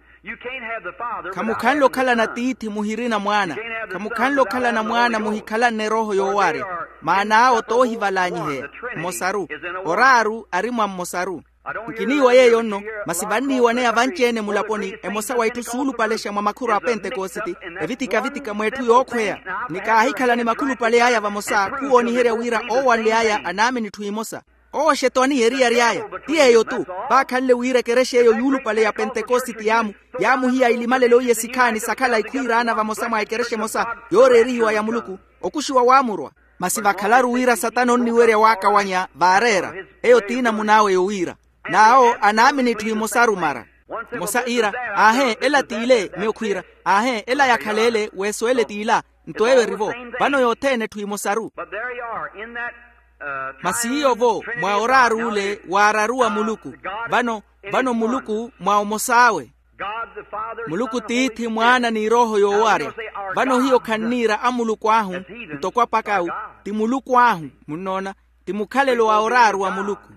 Khamukhanle okhalana tiithi muhirina mwaana. Khamukhanle okhalana mwaana muhikhalanne erooho yoowaarya. Maana awo toohivalanyiheya. Mmosaru. Oraaru ari mwa mmosaru. Nkiniiwa yeeyo nno. Masi vanniiwaneya vanci-ene mulaponi emosa wa itthu suulupalexa mwa makhuru a pentekositi, evitika-vitika mweetthu yookhweya. Ni kaahikhala ni makhulupale aya vamosa khuwooniherya wira oowanly'aya anaamini itthu imosa. Owo xetwani eriyari aya. Ti yeeyo-tu. Vaakhanle wira ekerexa eyo yuulupale ya pentekositi yaamu, yaamuhiya ilimalelo iye sikhaani sakhala ikhwiiraana vamosa mwa ekerexa emosa yooreerihiwa ya muluku. Okuxiwa waamurwa. Masi vakhalaru wira satana onniwerya waakawanya vaareera. Eyo ti namun'awe yowiira. N'awo anaamini itthu imosaru mara. Mmosa iira, aahe ela t'ile miyo khwiira. Aahe ela yakhaleele weesuwele t'ila. Nto eyo eri-vo. Vano yothene etthu imosaru. Masi iyo-vo mwa oraaru ole waararu wa muluku. Vano, vano muluku mwa omos'awe. Muluku tiithi mwaana ni erooho yoowaarya. Vano hiyo khanniira amuluku ahu, ntoko apakawu, ti muluku ahu. Munnoona? Ti mukhalelo wa oraaru wa muluku.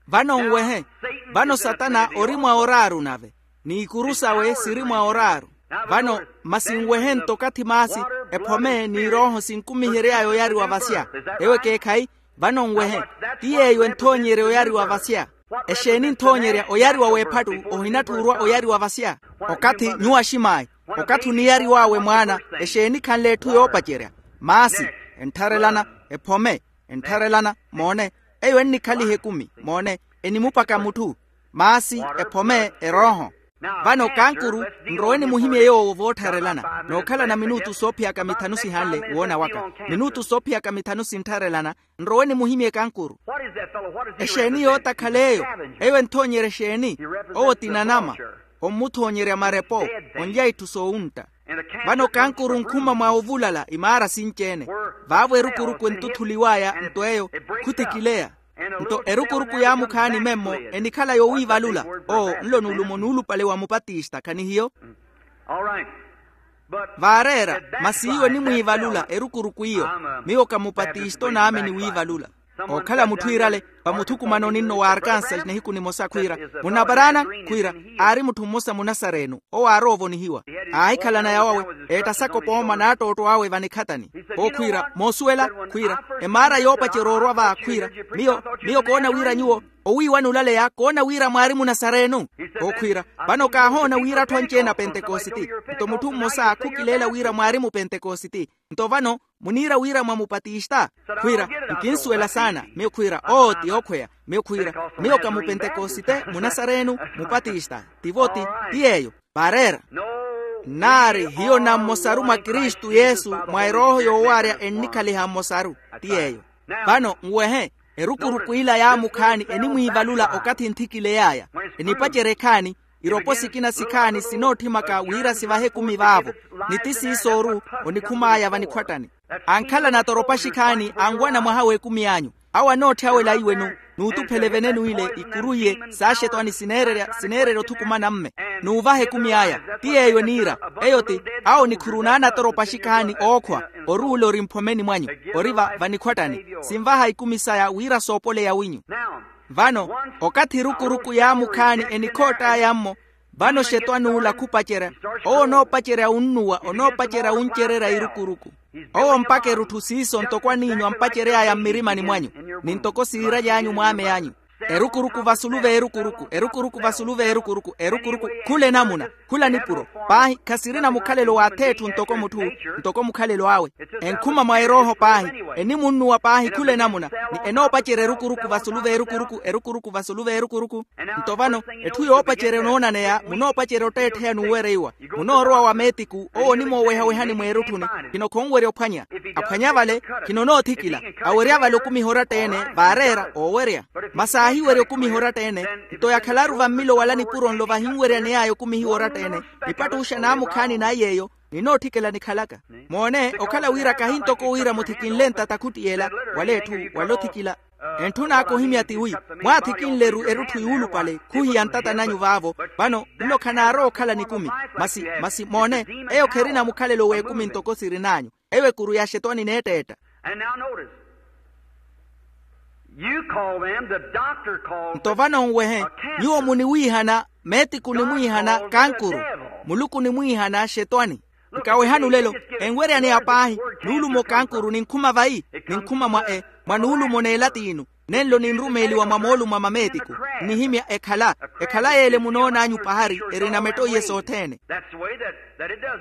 Vano nwehe. Vano satana ori mwa oraaru nave, ni ikuru sawe siri mwa oraaru. Vano, masi nwehe nto okathi maasi, ephome ni erooho sinkumihery'aya oyariwa vasya. Ewo ekeekhayi? Vano nwehe. Ti yeeyo enthoonyerya oyariwa vasya. Exeeni nthoonyerya oyariwa w'ephattu? Ohinatthuurwa oyariwa vasya. Okathi nyuwo aximaayi, okathi oniyariw'awe mwaana, exeeni khanle etthu yoopacerya? Maasi, enttharelana, ephome, enttharelana. Moone, eyo ennikhaliha ekumi. Moone, enimupaka mutthu. Maasi, ephome, erooho. Vano kankuru, nrowe nimuhimye yoowo voottharelana nookhalana minutu soophiyaka mithanu sihanle woona waka. Minutu soophiyaka mithanu sinttharelana. Nrowe nimuhimye kankuru. Exeeni yootakhala eyo? Eyo enthoonyerya exeeni? Owo ti nanama. Ommuthoonyerya marepo, onlya itthu soowuntta. Vano kankuru nkhuma mwa ovulala imaara sinci-ene. Vaavo erukuruku enttuthuliw'aya nto eyo khutikileya. Nto erukuruku yaamukhaani memmo enikhala yowiivalula. Oo nlo nuulumo nuulupale wa mupatista khanihiyo? Vaareera. Masi iyo enimwiivalula erukuruku iyo. Miyo ka mupatista onaamini wiivalula. Ookhala mutthu iirale, vamuthukumanoni nno wa arkansas nihiku nimosa khwiira, munaparaana, khwiira, aari mutthu mmosa munasarenu owo aaroovonihiwa. Aahikhalana yawawe, eettasaka opooma n'attootto awe vanikhatani. Owo khwiira, moosuwela, khwiira, emaara yoopacerya oorwa va khwiira, miyo, miyo koona wira nyuwo owiiwana olaleya koona wira mwaari munasarenu. Owo khwiira, vano kaahoona wira atthu anci-ene apentekositi. Nto mutthu mmosa khukileela wira mwaari mupentekositi. Nto vano muniira wira mwa mupatista? Khwiira, nkinsuwela saana. Miyo khwiira oo ti yookhweya. Miyo khwiira, miyo ka mupentekosite, munasarenu, mupatista. Tivo ti, ti yeeyo. Vaareera. Nnaari hiyo na mmosaru mwa kristu yesu mwa erooho yoowaarya ennikhaliha mmosaru. Ti yeeyo. Vano nwehe, erukuruku ila yaamukhaani enimwiivalula okathi nthikiley'aya. Enipacerya ekhaani, iropo sikina sikhaani sinootthimaka wira sivahe ekumi vaavo. Ni ti siisooru onikhum'aya vanikhwattani. Ankhala natoropashikhani anwana mwaha w'ekumi anyu. Awo anootthya awela iwenu, nuutuphele venenu ile ikuru iye saaxetwani sineererya sineererya othukumana mme. Nuuvaha ekumi aya. Ti yeeyo eniira. Eyo ti, awo nikhuru naanatoropashikhani ookhwa. Oruula ori mphomeni mwanyu, ori va vanikhwattani. Sinvaha ikumi saya wira soopoleya winyu. Vano, okathi erukuruku yaamukhaani enikhoott'aya-mmo. Vano xetwani ula khupacerya. Owo onoopacerya wunnuwa onoopacerya wuncererya erukuruku. Owo mpaka erutthu siiso ntoko aniinyu ampacery'aya mmirimani mwanyu, ni ntoko siiraly'anyu mwaamey'anyu. Erukuruku vasulu v'erukuruku erukuruku vasulu v'erukuruku erukuruku. Khula enamuna, khula nipuro. Paahi khasirina mukhalelo w'ath'etthu ntoko mutthu, ntoko mukhalelo awe. Enkhuma mwa erooho paahi, enimunnuwa paahi khula enamuna. Ni enoopacerya erukuruku vasulu v'erukuruku erukuruku vasulu v'erukuruku. Nto vano, etthu yoopacerya onoonaneya munoopacerya otteettheya n'uwereiwa. Munoorowa wa meetiku owo onimoowehawehani mweerutthuni. Khino khonwerya ophwanya. Aphwanya vale, khino onoothikila. Awerya vale okumiha oratta-ene, vaareera oowerya. Masi aahiwerya okumiha oratta-ene, nto yakhalaru vammilo wala nipuro nlo vahinweryaney'aya okumihiwa oratta-ene. Nipattuxa naamukhaani nayi yeeyo, ninootthikela nikhalaka. Moone okhala wira kahi ntoko wira muthikinle ntata khuttiyela, wala etthu, wala othikila. Entthun'aka ohimya tiwi, mwaathikinle-ru erutthu yuulupale khuhiya ntata nanyu vaavo. Vano nlo khanaarowa okhala nikumi. Masi masi moone, eyo kherina mukhalelo w'ekumi ntoko sirin'anyu. Eyo ekuru ya axetwani neetteetta. Nto vano nwehe, nyuwo muniwiihana, meetiku onimwiihana kankuru, muluku onimwiihana axetwani. Nkawehani olelo, enweryaneya paahi, nuulumo kankuru ninkhuma vayi? Ninkhuma mwa e mwa nuulumo n'elatiinu. Nenlo ninrumeeliwa mwa moolumo a mameetiku. Nnihimya ekhala, ekhala y'ele munoon'anyu pahari erina metto iye sothene.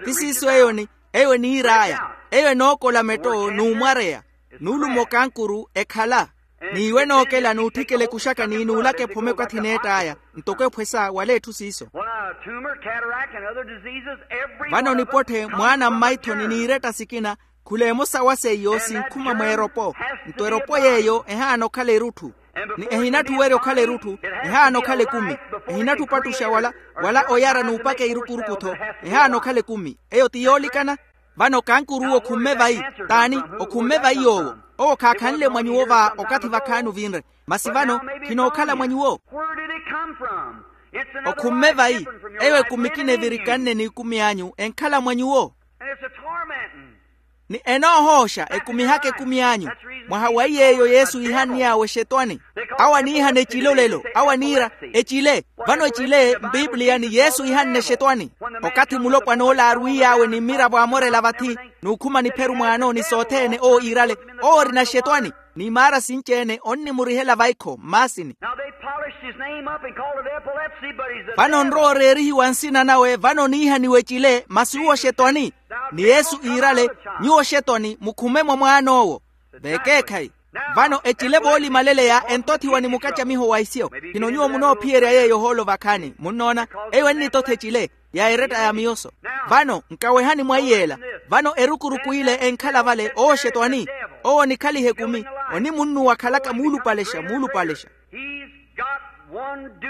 Ti siiso eyo ni eyo eniir'aya. Eyo enookola metto n'umwareya. Nuulumo kankuru ekhala. N'iwe nookela n'utthikela ekuxaka ni nuulaka ephome okathi neett'aya. Ntoko ephwesa wala etthu siiso. Vano nipotthe mwaana mmaithoni n'iretta sikina. Khula emosa wa seiyo sinkhuma mweeropo. Nto eropo yeeyo ehaana okhala erutthu. Ni ehinatthu werya okhala erutthu. Ehaana okhala ekumi. Ehinatthu opattuxa wala wala oyara n'upakeya erukuruku-tho. Ehaana okhala ekumi. Eyo ti yoolikana. Vano kankuruwo okhumme vayi? T'ani? Okhumme vayi yoowo. Owo khaakhanle mwa nyuwo va okathi vakhaani ovinre. Masi vano khinookhala mwa nyuwo. Okhumme vayi? Eyo ekumi ekina evirikanne n'ikumi anyu enkhala mwa nyuwo. Ni enoohooxa ekumihaka ekumi anyu. Mwaha wa iy'eyo yesu iihann'awe exetwani. Awo aniihana ecile olelo awo aniira, ecile. Vano ecile mpiipiliya ni yesu iihanne exetwani. Okathi mulopwana ole aarwiy'awe ni mmiravo aamorela vathi, n'ukhuma nipheru mwaano ni sothene owo iirale, owo orina exetwani. N'imaara sinci-ene onnimurihela vaikho mmaasini. Vano onrowa oreerihiwa nsina nawe vano oniihaniwa ecile masi uwo xetwani. Ni yesu iirale, nyuwo xetwani mukhume mwa mwaan'owo. V'ekeekhayi. Vano ecile voolimaleleya entothiwa ni mukacamiho wa isyo. Khino nyuwo munoophiyerya yeeyo ohoolo vakhaani munnoona. Eyo ennitotha ecile ya eretta ya miyoso. Vano nkawehani mwa iy'ela. Vano erukuruku ile enkhala vale owo xetwani. Owo onikhaliha ekumi. Onimunnuwa akhalaka muulupalexa muulupalexa.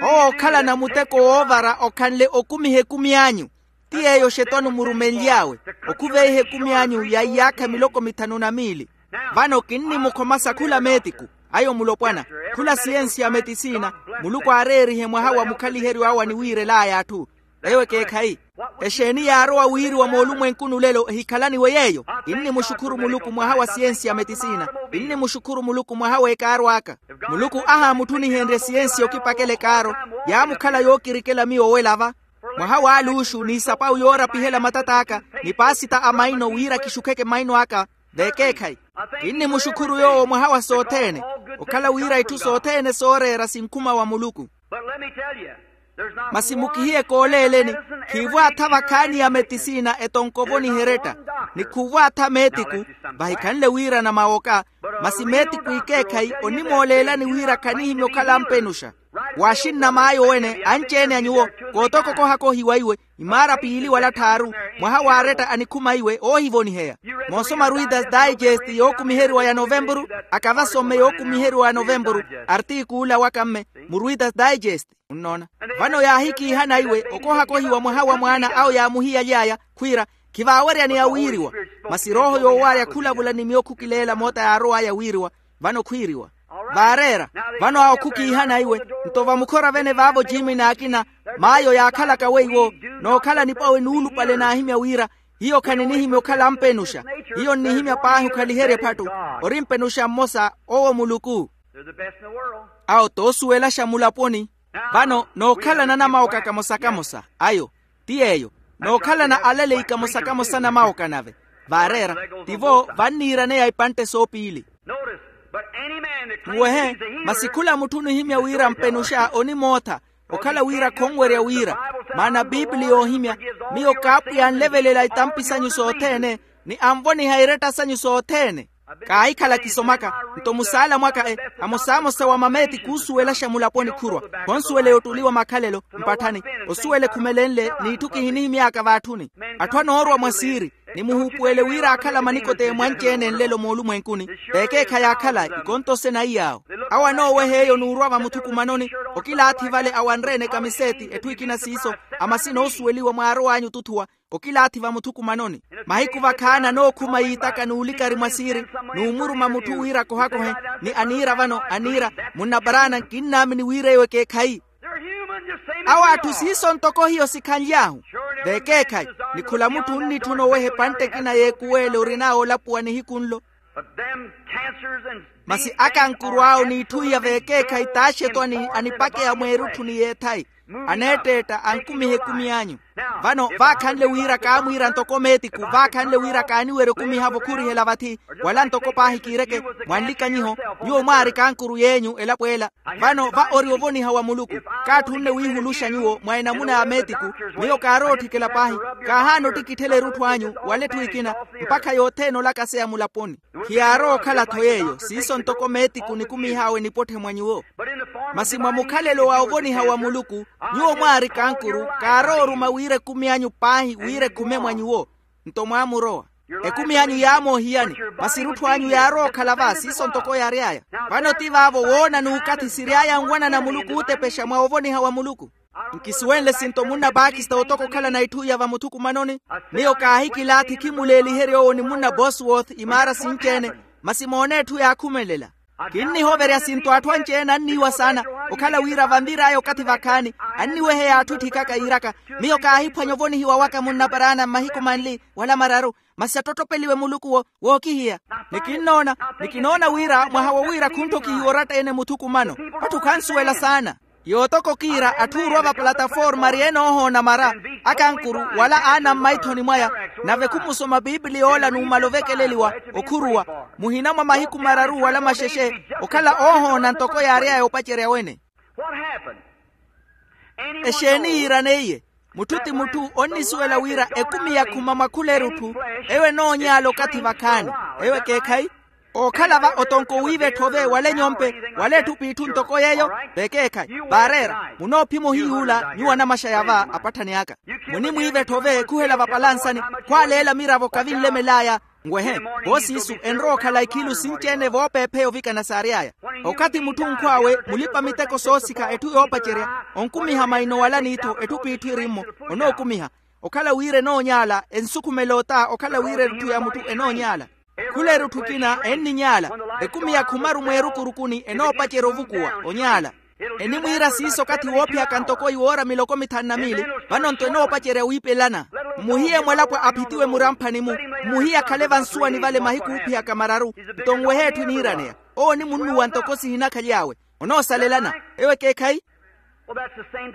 Owo okhalana muteko woovara okhanle okumiha ekumi anyu. Ti yeeyo xetwani omurumenly'awe. Okhuveiha ekumi anyu ya iyaakha miloko mithanu na miili. Vano kinnimukhomasa khula meetiku. Ayo mulopwana. Khula siyensi ya metisina. Muluku aareerihe mwaha wa mukhaliheryo awe aniwiirel'aya atthu. Eyo ekeekhayi. Exeeni yaarowa wiiriwa moolumwenkuni olelo ehikhalaniwe yeeyo? Kinnimuxukhuru muluku mwaha wa siyensi ya metisina. Kinnimuxukhuru muluku mwaha w'ekaaro aka. Muluku ahaamutthunihenrye siyensi okipakela ekaaro. Yaamukhala yookirikela miyo owela va. Mwaha w'aluuxu n'isapawu yoorapihela matat'aka. Ni paasita a maino wira kixukheke maino aka. V'ekeekhayi. Kinnimuxukhuru yoowo mwaha wa sothene. Okhala wira itthu sothene sooreera sinkhuma wa muluku. Masi mukihiye kooleeleni. Khiivwaatha vakhaani ya metisina etonkovo niheretta. Ni khuuvwaatha meetiku. Vahikhanle wiirana mawoka. Masi meetiku ikeekhayi onimooleelani wira khanihimya okhala ampenuxa. Waaxinnam'aya owene anci-ene a nyuwo. Kootokokohaka ohiwa iwe. Imaara piili wala tthaaru. Mwaha waaretta anikhuma iwe oohivoniheya. Moosoma ruitas daicesti yookumiheriwa ya novempuru. Akava somme yookumiheriwa ya novempuru. Artikuula waka mme mu ruitas daicesti. Munnoona? Vano yaahikiihana iwe okohakohiwa mwaha wa mwaana awo yaamuhiyaly'aya, khwiira, khivaaweryaneya wiiriwa. Masi erooho yoowarya khulavula ni miyo khukileela moota yaarow'aya wiiriwa. Vano khwiiriwa, vaareera. Vano awo khukiihana iwe. Nto vamukhora vene vaavo jiimi n'akina, maayo yaakhalaka weiwo, nookhala nipawe nuulupale naahimya wira, hiyo khaninihimya okhala ampenuxa. Hiyo nnihimya paahi okhaliherya ephattu. Ori mpenuxa mmosa, owo muluku. Awo t'osuwelaxa mulaponi. Vano nookhalana namawoka kamosa-kamosa ayo, ti yeeyo, nookhalana alaleyi kamosa-kamosa namawoka nave. Vaareera, tivo vanniiraneya ipantte soopiili. Nwehe, masi khula mutthu onihimya wira mpenuxa onimootha, okhala wira khonwerya wira. Maana biipili yoohimya, miyo kaapwiya anlevelela itampi sanyu sothene, ni anvoniha iretta sanyu sothene. Kaahikhala kisomaka, nto musaala mwaka e, amosamosa wa mameeti khuusuwelaxa mulaponi khurwa. Khonsuwele yottuliwa makhalelo mpatthani, osuwele khumelenle n'itthu kihinihimy'aka vaatthuni. Atthu anoorwa mwa siiri, ni muhuupuwele wira aakhala manikote mwanci-ene nlelo moolumwenkuni. Veekeekhayi aakhala ikonto sena iy'awo. Awo anooweha eyo n'urwa vamuthukumanoni. Okilaathi vale awanre-ene kamiseeti etthu ekina siiso, amasina oosuweliwa mwaarow'anyu otuthuwa. Okilaathi vamuthukumanoni. Mahiku vakhaani anookhuma yiitaka n'ulikari mwa siiri, n'umuruma mutthu wira akohakohe, ni aniira vano aniira, munnaparaana nkinnaamini wira eyo ekeekhayi. Awo atthu siiso ntoko hiyo sikhanly'ahu. Veekeekhayi, ni khula mutthu onnitthuna oweha epantte ekina y'ekuweele orin'awe olapuwa nihiku nlo. Masi akankuru awo n'itthu iya veekeekhayi t'axetwani anipakeya mweerutthu ni yeethayi, aneetteetta ankumiha ekumi anyu. Vano vaakhanle wira kaamwiira ntoko meetiku, vaakhanle wira kaaniwerya okumihavo khurihela vathi, wala ntoko paahi kiireke, mwanlikanyiho, nyuwo mwaari kankuru yeenyu elapo ela. Vano va ori ovoniha wa muluku. Kaatthunne wiihuluxa nyuwo mwa enamuna ya meetiku. Miyo kaarowa otthikela paahi, kaahaana ottikitthela erutthu anyu wala etthu ekina, mpakha yothene olakaseya mulaponi. Khiyaarowa okhala-tho yeeyo siiso ntoko meetiku nikumih'awe nipotthe mwa nyuwo. Masi mwa mukhalelo wa ovoniha wa muluku, nyuwo mwaari kankuru, kaarowa oruma wira ekumi anyu paahi wira ekhume mwa nyuwo. Nto mwaamurowa. Ekumi anyu yaamoohiyani, masi erutthu anyu yaarowa okhala va siiso ntoko yaary'aya. Vano ti vaavo woona n'ukathi siry'aya nwanana muluku ootepexa mwa ovoniha wa muluku. Nkisuwenle sinto munna pakista otoka okhalana itthu iya vamuthukumanoni. Miyo kaahikilaathi khimuleeliherya owo ni munna bosworth imaara sinci-ene. Masi moone etthu yaakhumelela. Kinnihoverya sinto atthu anci-ene anniiwa saana, okhala wira vanvir'aya okathi vakhaani, anniweheya atthu etthikaka yiiraka. Miyo kaahiphwanya ovonihiwa waka munnaparaana mmahiku manli wala mararu. Masi attottopeliwe muluku wo wookihiya. Ni kinnoona, ni kinoona wira mwaha wo wira khunttokihiwa oratta-ene muthukumano. Atthu khansuwela saana. Yootoko kiira atthu oorwa vapalataforma ari enoohoona mara, akankuru wala aanamma ithoni mwaya. Nave khumusoma piipili yoola numala ovekeleliwa, okhuruwa muhina mwa mahiku mararu wala maxexe, okhala oohoona ntoko yaary'aya opacerya wene. Exeeni yiiraneiye? Mutthu ti mutthu onnisuwela wira ekumi yakhuma mwa khula erutthu, eyo enoonyaala okathi vakhaani. Eyo ekeekhayi. Ookhala va otonko wiiva etthove wala enyompe, wala etthu p'itthu ntoko yeeyo. Vekeekhayi vaareera. Munoophima ohiyuula nyuwo anamaxaya va apatthani aka. Munimwiiva etthove khuhela vapalansani, khwaaleela miravo kavinlemel'aya. Nwehe, voosiisu enrowa okhala ikhilu sinci-ene voopeepheya ovikana saary'aya. Okathi mutthu nkhw'awe mulipa-miteko soosikha etthu yoopacerya, onkumiha maino wala n'ittho etthu p'itthu eri-mmo, onookumiha. Okhala wira enoonyaala, ensukhumela ota okhala wira erutthu ya mutthu enoonyaala. Khula erutthu ekina enninyaala. Ekumi ya khumaru mweerukurukuni enoopacerya ovukuwa, onyaala. Enimwiira siiso okathi woophiyaka ntoko iwoora miloko mithanu na miili. Vano-nto enoopacerya wiipelana. Mmuhiye mwalapwa aphitiwe muramphani-mu. Mmuhiye akhale vansuwani vale mahiku oophiyaka mararu. Nto nwehe etthu eniiraneya. Owo onimunnuwa ntoko sihinakhaly'awe. Onoosalelana. Eyo ekeekhayi.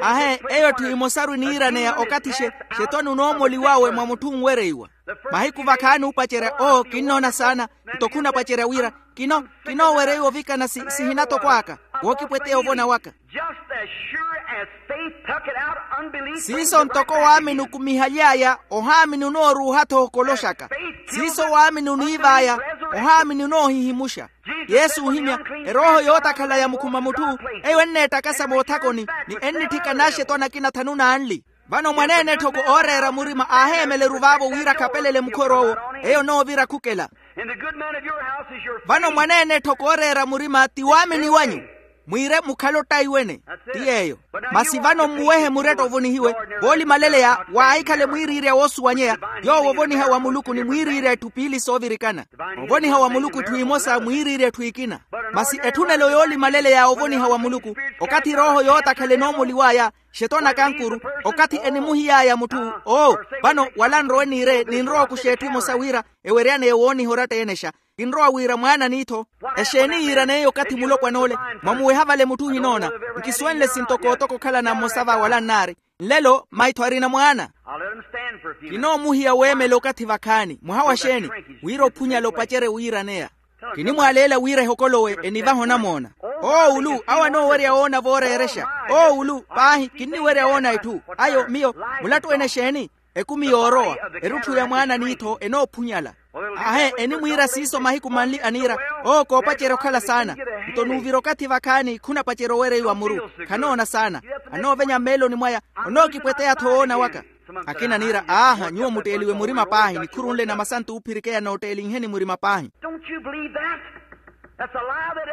Ahe, eyo etthu emosaru eniiraneya okathi xe, xetwani onoomoliw'awe mwa mutthu onwereiwa. Mahiku vakhaani oopacerya oo kinnoona saana. Nto khunapacerya wira kino, kinoowereiwa ovikana si sihina toko aka. Wookipweteya ovona waka. Just as sure as faith tuck it out, unbelief brings siiso the ntoko right waamini okumihaly'aya ohaamini onooruuha-tho okoloxaka. Siiso waamini oniiv'aya ohaamini onoohihimuxa. Yesu oohimya, erooho yootakhala ya mukhuma mutthu, eyo enneettakasa moothakoni, ni ennitthika n'axetwani akina thanu n'anli. Vano mwaneene etthoko ooreera murima aaheemeleru vaavo wira akhapelele mukhor'owo. Eyo onoovira khukela. Vano mwaneene etthoko ooreera murima ti waamini wanyu. Mwiire mukhale ottaiwene. Ti yeeyo. Masi vano mmuwehe muretta ovonihiwe voolimaleleya, waahikhale mwiiriirya woosuwanyeya. Yoowo ovoniha wa muluku ni mwiiriirya etthu piili soovirikana. Ovoniha wa muluku etthu emosa mwiiriirya etthu ekina. Masi etthunelo yoolimaleleya ovoniha wa muluku, okathi erooho yootakhala enoomuliw'aya, xetona kankuru, okathi enimuhiy'aya mutthu. Oo, vano wala nrowe niire ninrowa okuxa etthu emosa wira eweryaneyo wooniha oratta eenexa. Kinrowa wira mwaana n'ittho. Exeeni yiiran'eyo okathi mulopwan'ole? Mwamuweha vale mutthu ohinoona. Nkisuwenle sintoko otoko okhalana mmosa va wala nnaari. Nlelo maitho arina mwaana. Kinoomuhiya weemela okathi vakhaani mwaha wa xeeni? Wira ophunyala opacerye wiiraneya. Kinimwaaleela wira ehokolowe enivahe onamoona. Oowulu awo anoowerya woona vooreerexa. Oowulu paahi kinniwerya woona etthu. Ayo miyo. Mulattu ene exeeni? Ekumi yoorowa. Erutthu ya mwaana n'ittho enoophunyala. Ahe enimwiira siiso mahiku manli aniira. Oo koopacerya okhala saana. Nto nuuvira okathi vakhaani khunapacerya owereiwa muru. Khanoona saana. Anoovenya mmeeloni mwaya. Onookipweteya-tho woona waka. Akina aniira aaha nyuwo mutteeliwe murima paahi nikhuru nle na masantu oophirikeya nootteelinheni murima paahi.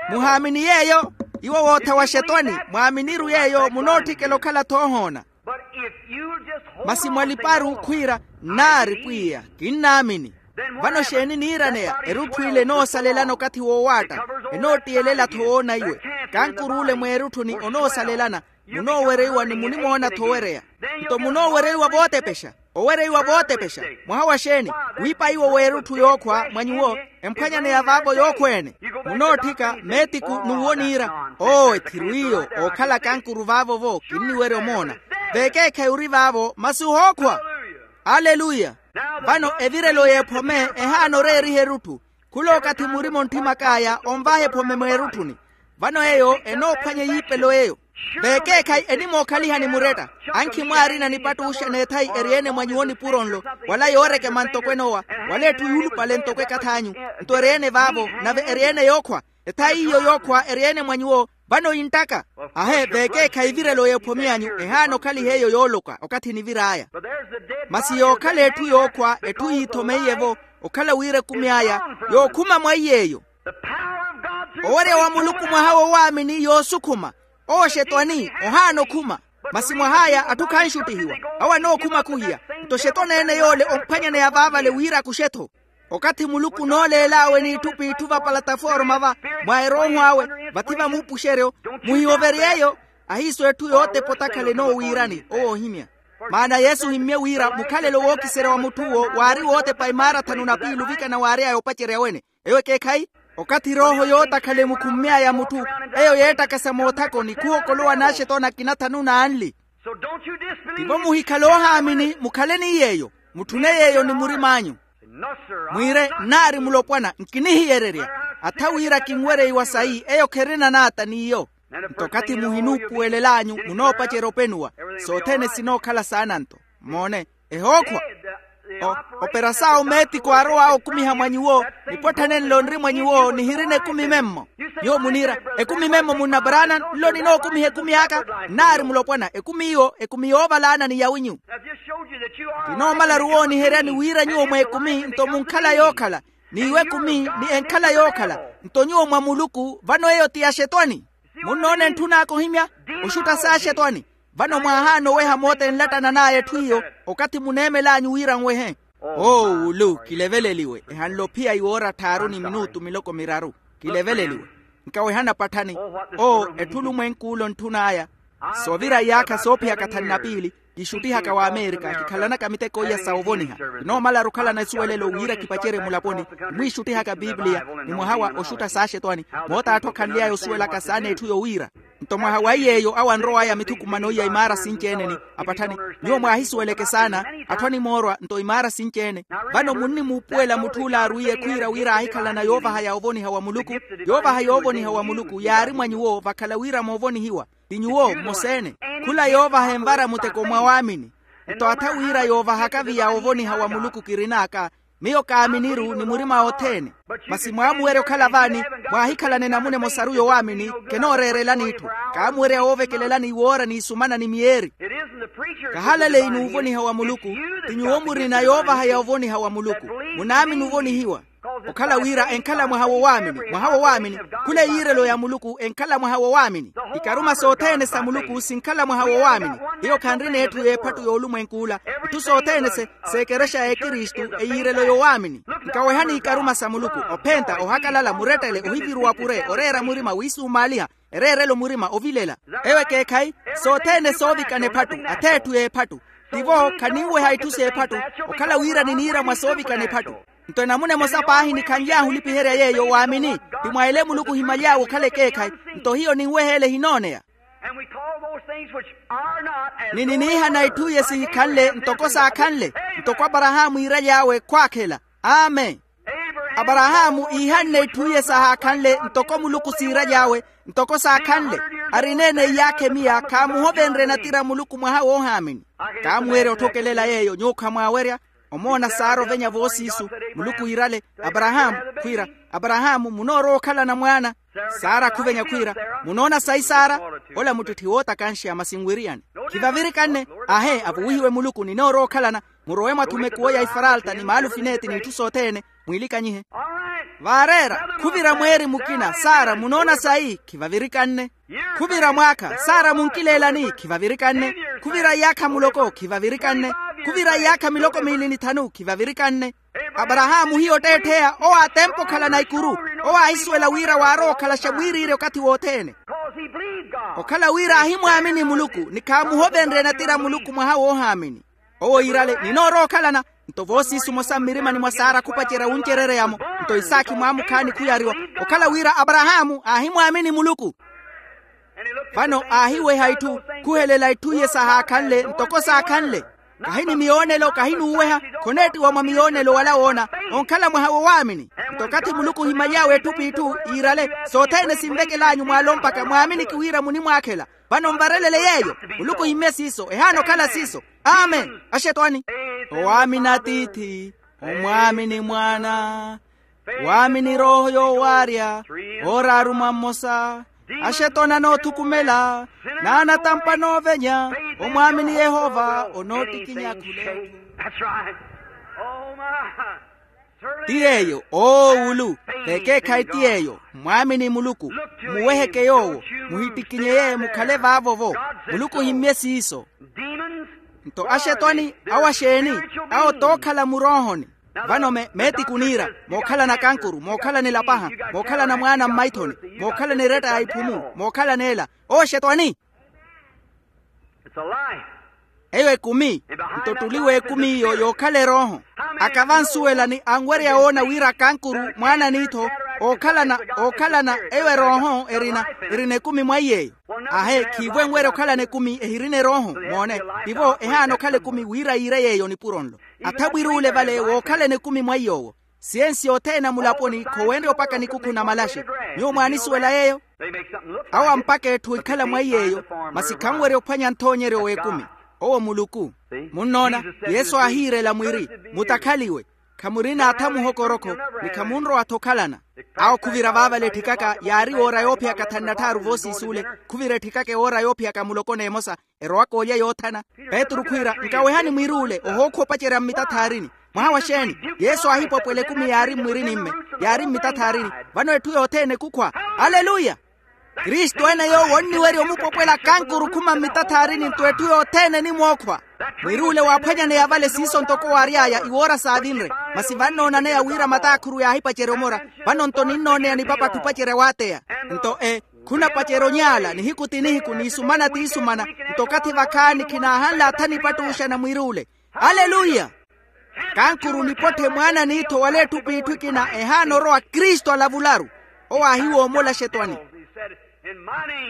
Muhaamini yeeyo? Iwo wootha wa xetwani mwaaminiru yeeyo munootthikela okhala-tho ohoona. Masi mwaliparu khwiira nnaari pwiya kinnaamini. Vano xeeni niiraneya erutthu ile enoosalelana okathi woowaatta. Enoottiyelela-tho woona iwe. Kankur'ule mweerutthuni onoosalelana. Munoowereiwa ni munimoona-tho owereya. Nto munoowereiwa vootepexa. Owereiwa vootepexa. Mwaha wa xeeni? Wiipa iwo w'erutthu yookhwa mwa nyuwo. Emphwanyaneya vaavo yookhwa-ene. Munootthika meetiku n'uwo niira. Oo ethiru iyo ookhala kankuru vaavo-vo kinniwerya omoona. Veekeekhayi ori vaavo masi ohookhwa. Aleluya. Vano evirelo y'ephome ehaana oreeriha erutthu. Khula okathi murima ontthimakaaya onvaha ephome mweerutthuni. Vano eyo enoophwanya eyiipelo eyo. Veekeekhayi enimookhalihani muretta. Ankhi mwaarina nipattuxa n'ethayi eri-ene mwa nyuwo nipuro nlo. Wala yoorekema ntoko enoowa. Wala etthu yuulupale ntoko ekath'anyu. Nto eri-ene vaavo nave eri-ene yookhwa. Ethayi iyo yookhwa eri-ene mwa nyuwo. Vano inttaka. Ahe veekeekhayi evirelo y'ephome anyu ehaana okhaliha eyo yooloka okathi enivir'aya. Masi yookhala etthu yookhwa etthu yiithomeiye-vo okhala wira ekumi aya yookhuma mwa iy'eyo. Owerya wa muluku mwaha w'owaamini yoosukhuma. Owo xetwani ohaana okhuma. Masi mwah'aya atthu khanxuttihiwa. Awo anookhuma khuhiya. Nto xetwani-ene yoole omphwanyaneya vaavale wira akuxe-tho. Okathi muluku onooleel'awe n'itthu p'itthu vapalataforma va mwa erooho awe vathi vamuupuxeryo. Muhiwovery'eyo. Ahiiso etthu yootepa otakhala enoowiirani owo oohimya. Maana yesu ohimmye wira mukhalelo wookiserya wa mutth'uwo waari wootepa imaara thanu na piili ovikana waary'aya opacerya wene. Eyo ekeekhayi. Okathi erooho yootakhala emukhummy'aya mutthu eyo yeettakasa moothakoni khuhokolowa n'axetwani akina thanu n'anli. Tivo muhikhale oohaamini mukhale ni yeeyo. Mutthune yeeyo ni murim'anyu. Mwiire nnaari mulopwana nkinihiyererya. Atha wira kinwereiwa sayi eyo kherina naata n'iyo. Nto okathi muhinuupuwelel'anyu munoopacerya openuwa. Sothene sinookhala saana nto. Moone. Ehookhwa. Operasaawo meetiko aarow'awe okumiha mwa nyuwo. Nipotthanenle onri mwa nyuwo nihirina ekumi memmo. Nyuwo muniira ekumi memmo munna brana nlo ninookumiha ekumi aka. Nnaari mulopwana ekumi iyo ekumi yoovalaana ni yawinyu. Kinoomalaru wooniheryani wira nyuwo mw'ekumi nto munkhala yookhala. N'iwo ekumi ni enkhala yookhala. Nto nyuwo mwa muluku vano eyo ti yaxetwani. Munnoona entthun'aka ohimya oxutta s'axetwani. Vano mwaahaana oweha moota enlattanan'aya etthu iyo. Okathi muneemel'anyu wira nwehe. Oo wulu kileveleliwe ehanle ophiya iwoora tthaaru ni minutu miloko miraru. Kileveleliwe. Nkawehana patthani. Oo etthu olumwenk'ule ontthun'aya. Soovira iyaakha soophiyaka thanu na piili kixuttihaka w'amerika kikhalanaka miteko iya sa ovoniha. Kinoomalaru okhalana esuwelelo wira kipacerye mulaponi. Nimwiixuttihaka pipiliya ni mwaha wa oxutta s'axetwani. Moota atthu akhanly'aya osuwelaka saana etthu yowiira. Nto mwaha wa iy'eyo awo anrow'aya mithukumano iya imaara sinci-ene ni apatthani. Nyuwo mwaahisuweleke saana atthu animoorwa nto imaara sinci-ene. Vano munnimuupuwela mutth'ule aarwiiye khwiira wira aahikhalana yoovahaya ovoniha wa muluku. Yoovaha yoovoniha wa muluku yaari mwa nyuwo vakhala wira moovonihiwa. Ti nyuwo mmosa-ene. Khula yoovaha envara muteko mwa waamini. Nto atha wira yoovahaka viya ovoniha wa muluku kirin'aka. Miyo kaaminiru ni murima othene. Masi mwaamuwerya okhala vaani? Mwaahikhalana enamuna emosaru yowaamini. Kenooreerelani itthu. Kaamuwerya woovekelelani iwoora n'isumana ni miyeeri. Kahalaleyi n'uvoniha wa muluku. Ti nyuwo murina yoovahaya ovoniha wa muluku. Munaamini ovonihiwa. Okhala wira enkhala mwaha wowaamini, mwaha wowaamini. Khula eyiirelo ya muluku enkhala mwaha wowaamini. Ikaruma sothene sa muluku sinkhala mwaha wowaamini. Hiyo khanrina etthu y'ephattu y'olumwenk'ula. Itthu sothene se seekerexa ya ekristu. Eyiirelo yowaamini. Nkawehani ikaruma sa muluku, ophenta, ohakalala, murettele, ohiviruwa pure, oreera murima wiisumaaliha, ereerelo murima ovilela. Eyo ekeekhayi. Sothene soovikana ephattu, atheetthu y'ephattu. Tivo khaninweha itthu s'ephattu. Okhala wira niniira mwa soovikana ephattu. Nto enamuna emosa paahi nikhanly'ahu olipiherya yeeyo waamini. Ti mwa ele muluku ohimaly'awe okhala ekeekhayi. Nto hiyo ninweha ele ehinooneya. Ni niniihana itthu iye sihikhanle ntoko saakhanle. Ntoko aparahaamu iiraly'awe khwaakhela. Amen. Aparahaamu iihanne itthu iye sahaakhanle ntoko muluku siiraly'awe. Ntoko saakhanle. Arina ene iyaakha emiya khaamuhovenrye natira muluku mwaha woohaamini. Kaamuwerya otthokelela yeeyo nyuwo khamwaawerya. Omoona sara ovenya voosiisu. Muluku iirale, aparahaamu, khwiira, aparahaamu munoorowa okhalana mwaana. Sara khuvenya khwiira, munoona sayi sara? Ola muttitthi wootakanxa masi nwiriyani. Khivavirikanne. Ahe avuwihiwe muluku ninoorowa okhalana. Murowe mwathuma ekuwo ya ifaralta ni maalufineeti n'itthu sothene. Mwiilikanyihe. Vaareera. Khuvira mweeri mukina sara munoona sayi khivavirikanne. Khuvira mwaakha sara munkileelani khivavirikanne. Khuvira iyaakha muloko khivavirikanne. Khuvira iyaakha miloko miili ni thanu khivavirikanne. Aparahaamu hiyo otteettheya owo aatempa okhalana ikuru. Owo aahisuwela wira waarowa okhalaxa mwiiriirya okathi wothene. Okhala wira aahimwaamini muluku ni khaamuhovenrye natira muluku mwaha woohaamini. Owo iirale ninoorowa okhalana. Nto voosiisu mosa mmirimani mwa sara khupacerya wuncerereya-mo. Nto isaakhi mwaamukhaani khuyariwa. Okhala wira aparahaamu aahimwaamini muluku. Vano aahiweha itthu. Khuhelela itthu iye sahaakhanle ntoko saakhanle. Kahi ni miyoonelo kahi n'uweha. Khoneettiwa mwa miyoonelo wala woona. Onkhala mwaha wowaamini. Nto okathi muluku ohimaly'awe etthu p'itthu iirale. Sothene sinvekel'anyu mwaalo mpakha mwaaminiki wira munimwaakhela. Vano nvarelele yeeyo. Muluku ohimmye siiso ehaana okhala siiso. Amen. Axetwani. Owaamini atiithi, omwaamini mwaana, waamini erooho yoowaarya, ooraaru mwa mmosa. Axetwani anoothukumela, n'anatampa anoovenya. Omwaamini yehova onoottikinya akhula etthu. Ti yeeyo oowulu. Vekeekhayi ti yeeyo. Mwaamini muluku. Mmuweheke yoowo. Muhittikinyeye mukhale vaavo-vo. Muluku ohimmye siiso. Nto axetwani awo axeeni? Awo tookhala muroohoni. Vano meetiku niira mookhalana kankuru mookhalana elapaha, mookhalana mwaana mmaithoni, mookhalana eretta ya iphumu, mookhalana ela. Owo axetwani. Eyo ekumi. Nto ottuli w'ekumi iyo yookhala erooho. Aka vansuwelani anwerya woona wira kankuru mwaana n'ittho ookhalana ookhalana eyo erooho erina erina ekumi mwa iy'eyo. Ahe khiivo enwerya okhalana ekumi ehirina erooho. Moone. Tivo ehaana okhala ekumi wira yiire yeeyo nipuro nlo. Atha mwiruule vale wookhalana ekumi mwa iy'owo. Siyensi yothene ya mulaponi khowenrya opaka nikukhu na malaxe. Nyuwo mwaanisuwela yeeyo? Awo ampaka etthu enkhala mwa iy'eyo. Masi khanwerya ophwanya nthoonyeryo w'ekumi. Owo muluku. Munnoona? Yesu aahiirela mwiri, mutakhaliwe. Khamurina atha muhokorokho, ni khamunrowa-tho okhalana. Awo khuvira vaavale etthikaka yaari woora yoophiyaka thanu na tthaaru voosiis'ule. Khuvira etthikaka ewoora yoophiyaka muloko n'emosa. Erowaka olya yoothana. Petru khwiira nkawehani mwiruule ohookhwa opacerya mmitathaarini. Mwaha wa xeeni? Yesu aahipwapwela ekumi yaari mmwirinimme, yaari mmitathaarini. Vano etthu yothene kukhwa. Aleluya. Kristu ene yoowo onniwerya omupwapwela kankuru khuma mmitathaarini nto etthu yothene enimwookhwa. Mwiruule waaphwanyaneya vale siiso ntoko waary'aya iwoora saavinre. Masi vannoonanaya wira mataakhuru yaahipacerya omora. Vano nto ninnooneya nipapatthi opacerya waateya. Nto e khunapacerya onyaala nihiku ti nihiku niisumana ti isumana. Nto okathi vakhaani khinaahanle atha nipattuuxana mwiruule. Aleluya. Kankuru nipotthe mwaana n'ittho wala etthu p'itthu ekina ehaana orowa kristu alavularu. Owo aahiwoomola axetwani.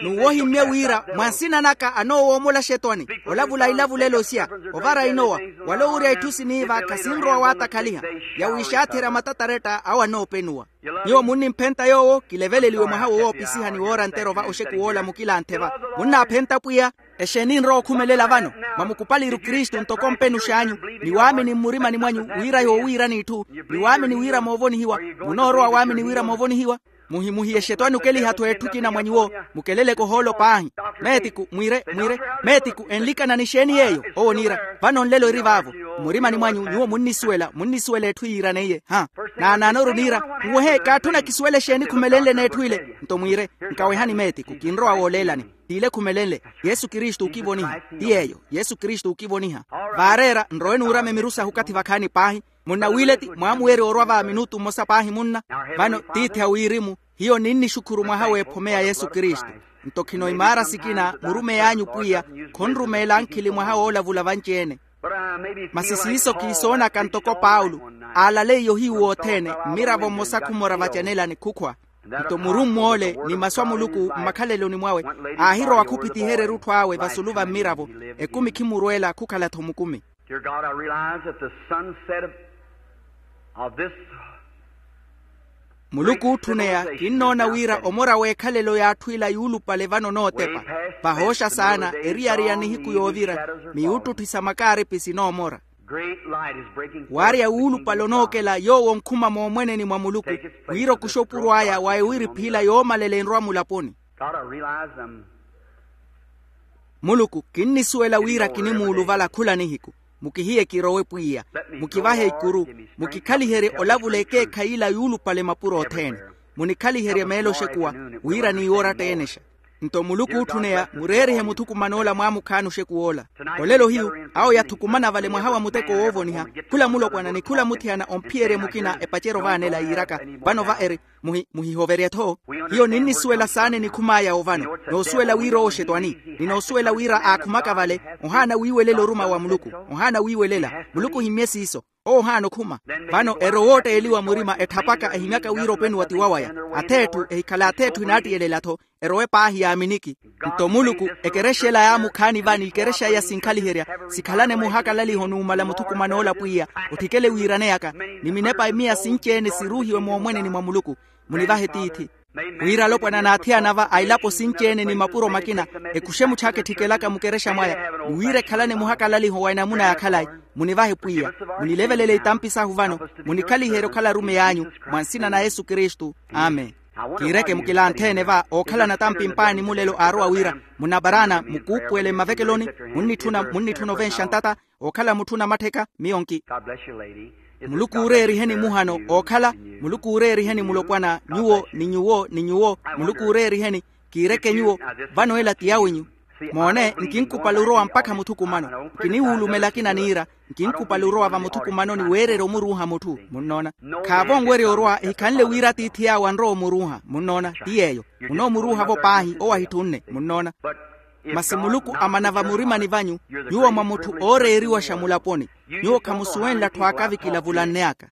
N'uwo ohimmye wira mwa nsina naka anoowoomola axetwani olavula ilavulelo isya, ovara inowa, wala owurya itthu siniiva khasinrowa waatakhaliha. Yawiixaatherya matataretta awo anoopenuwa. Nyuwo munnimphenta yoowo kileveleliwe mwaha wowoopisiha ni woora nterova oxeku woola mukilanthe va. Munnaaphenta pwiya? Exeeni enrowa okhumelela vano? Mwa mukupaliru kristu ntoko mpenux'anyu, ni waamini mmurimani mwanyu wira yoowiirani itthu, ni waamini wira moovonihiwa. Munoorowa waamini wira moovonihiwa. Muhimuhiye xetwani okeliha-tho etthu ekina mwa nyuwo. Mukeleleke ohoolo paahi. Meetiku mwire mwire. Meetiku enlikana ni xeeni yeeyo? Owo oniira vano nlelo eri vaavo. Mmurimani mwanyu nyuwo munnisuwela munnisuwela etthu yiiraneiye ha. Naanaanoru niira nwehe kaatthuna kisuwele xeeni khumelenle n'etthu ile. Nto mwire nkawehani meetiku kinrowa wooleelani. T'ile khumelenle. Yesu kristu okivoniha. Ti yeeyo yesu kristu okivoniha. Vaareera nrowe nuurama emiru sahu okathi vakhaani paahi. Munna wiileti mwaamuwerya orwa va minutu mmosa paahi munna. Vano tiithi a wirimu hiyo ninnixukhuru mwaha w'ephomeya yesu kristu. Nto khino imaara sikina murumeyi anyu pwiya khonrumeela ankhili mwaha woolavula vanci-ene. Masi siiso kiisoonaka ntoko paulo aalaleiye ohiyu wothene mmiravo mmosa khumora vacanelani khukhwa. Nto murumm'ole ni masu a muluku mmakhaleloni mwawe aahirowa khuphitiherya erutthu awe vasulu va mmiravo. Ekumi khimurweela khukhala-tho mukumi. Dear God, I realize that the sunset of, of this. Muluku ootthuneya kinnoona wira omora w'ekhalelo y'atthu ila yuulupale vano nootepa. Vahooxa saana eriyari ya nihiku yoovira miyuuttutthi sa makaaripi sinoomora. Great light is breaking forth. Waarya wuulupale onookela yoowo onkhuma moomweneni mwa muluku wira okuxa opuro aya wa ewiri phiila yoomalela enrwa mulaponi. God, I realize I'm muluku kinnisuwela wira kinimuuluvala khula nihiku. Mukihiye kirowe pwiya. Mukivahe ikuru. Mukikhaliherye olavula ekeekhayi ila yuulupale mapuro othene. Munikhaliherye meelo oxekuwa wira niiworatta eenexa. Nto muluku ootthuneya mureerihe muthukuman'ola mwaamukhaani oxekuw'ola. Olelo hiyu awo yathukumana vale mwaha wa muteko woovoniha. Khula mulopwana ni khula muthiyana omphiyerye mukina epaceryo vaanela yiiraka vano va eri muhi muhihoverye-tho. Hiyo ninnisuwela saana enikhum'aya ovano noosuwela wira owo xetwani. Ninoosuwela wira aakhumaka vale ohaana wiiwelela oruma wa muluku. Ohaana wiiwelela muluku ohimmye siiso. Owo ohaana okhuma. Vano ero wootteeliwa murima etthapaka ehimyaka wira openiwa ti wawaya. Ath'etthu ehikhala ath'etthu enaattiyelelya-tho erowe paahi yaaminiki. Nto muluku ekerexa ela yaamukhaani va n'ikerexa iya sinkhaliherya sikhalane muhakalaliho numala muthukuman'ola pwiya otthikele wiiraneyaka ni minepa emiya sinci-ene siruuhiwe moomweneni mwa muluku. Munivahe tiithi wira alopwana n'athiyana va a ilapo sinci-ene ni mapuro makina ekuxe mutthaaka etthikelaka mukerexa mwaya ni wira ekhalane muhakalaliho wa enamuna ya khalayi. Munivahe pwiya munilevelele itampi sahu vano munikhaliherye okhala arumeyi anyu mwa nsina na yesu kristu. Amen. Kiireke mukilanthe-ene va ookhalana tampi mpaani mulelo aarowa wira munabaraana mukuupuwele mmavekeloni munnitthuna munnitthuna ovenxa ntata ookhala mutthu namattheka miyo nki muluku uureeriheni muhano ookhala muluku uureeriheni mulopwana nyuwo ni nyuwo ni nyuwo muluku uureeriheni kiireke nyuwo vano ela ti yawenyu. Moone nkinkupale orowa mpakha muthukumano nkiniwuulumela akina niira nkinkupale orowa vamuthukumanoni weererya omuruuha mutthu munnoona khaavo onwerya orwa ehikhanle wira atiithi yaawe anrowa omuruuha munnoona ti yeeyo munoomuruuha-vo paahi owo ahitthunne munnoona. Masi muluku amana vamurimani vanyu nyuwo mwa mutthu ooreeriwaxa mulaponi nyuwo khamusuwenle atthu aakavikila vulanneyaka.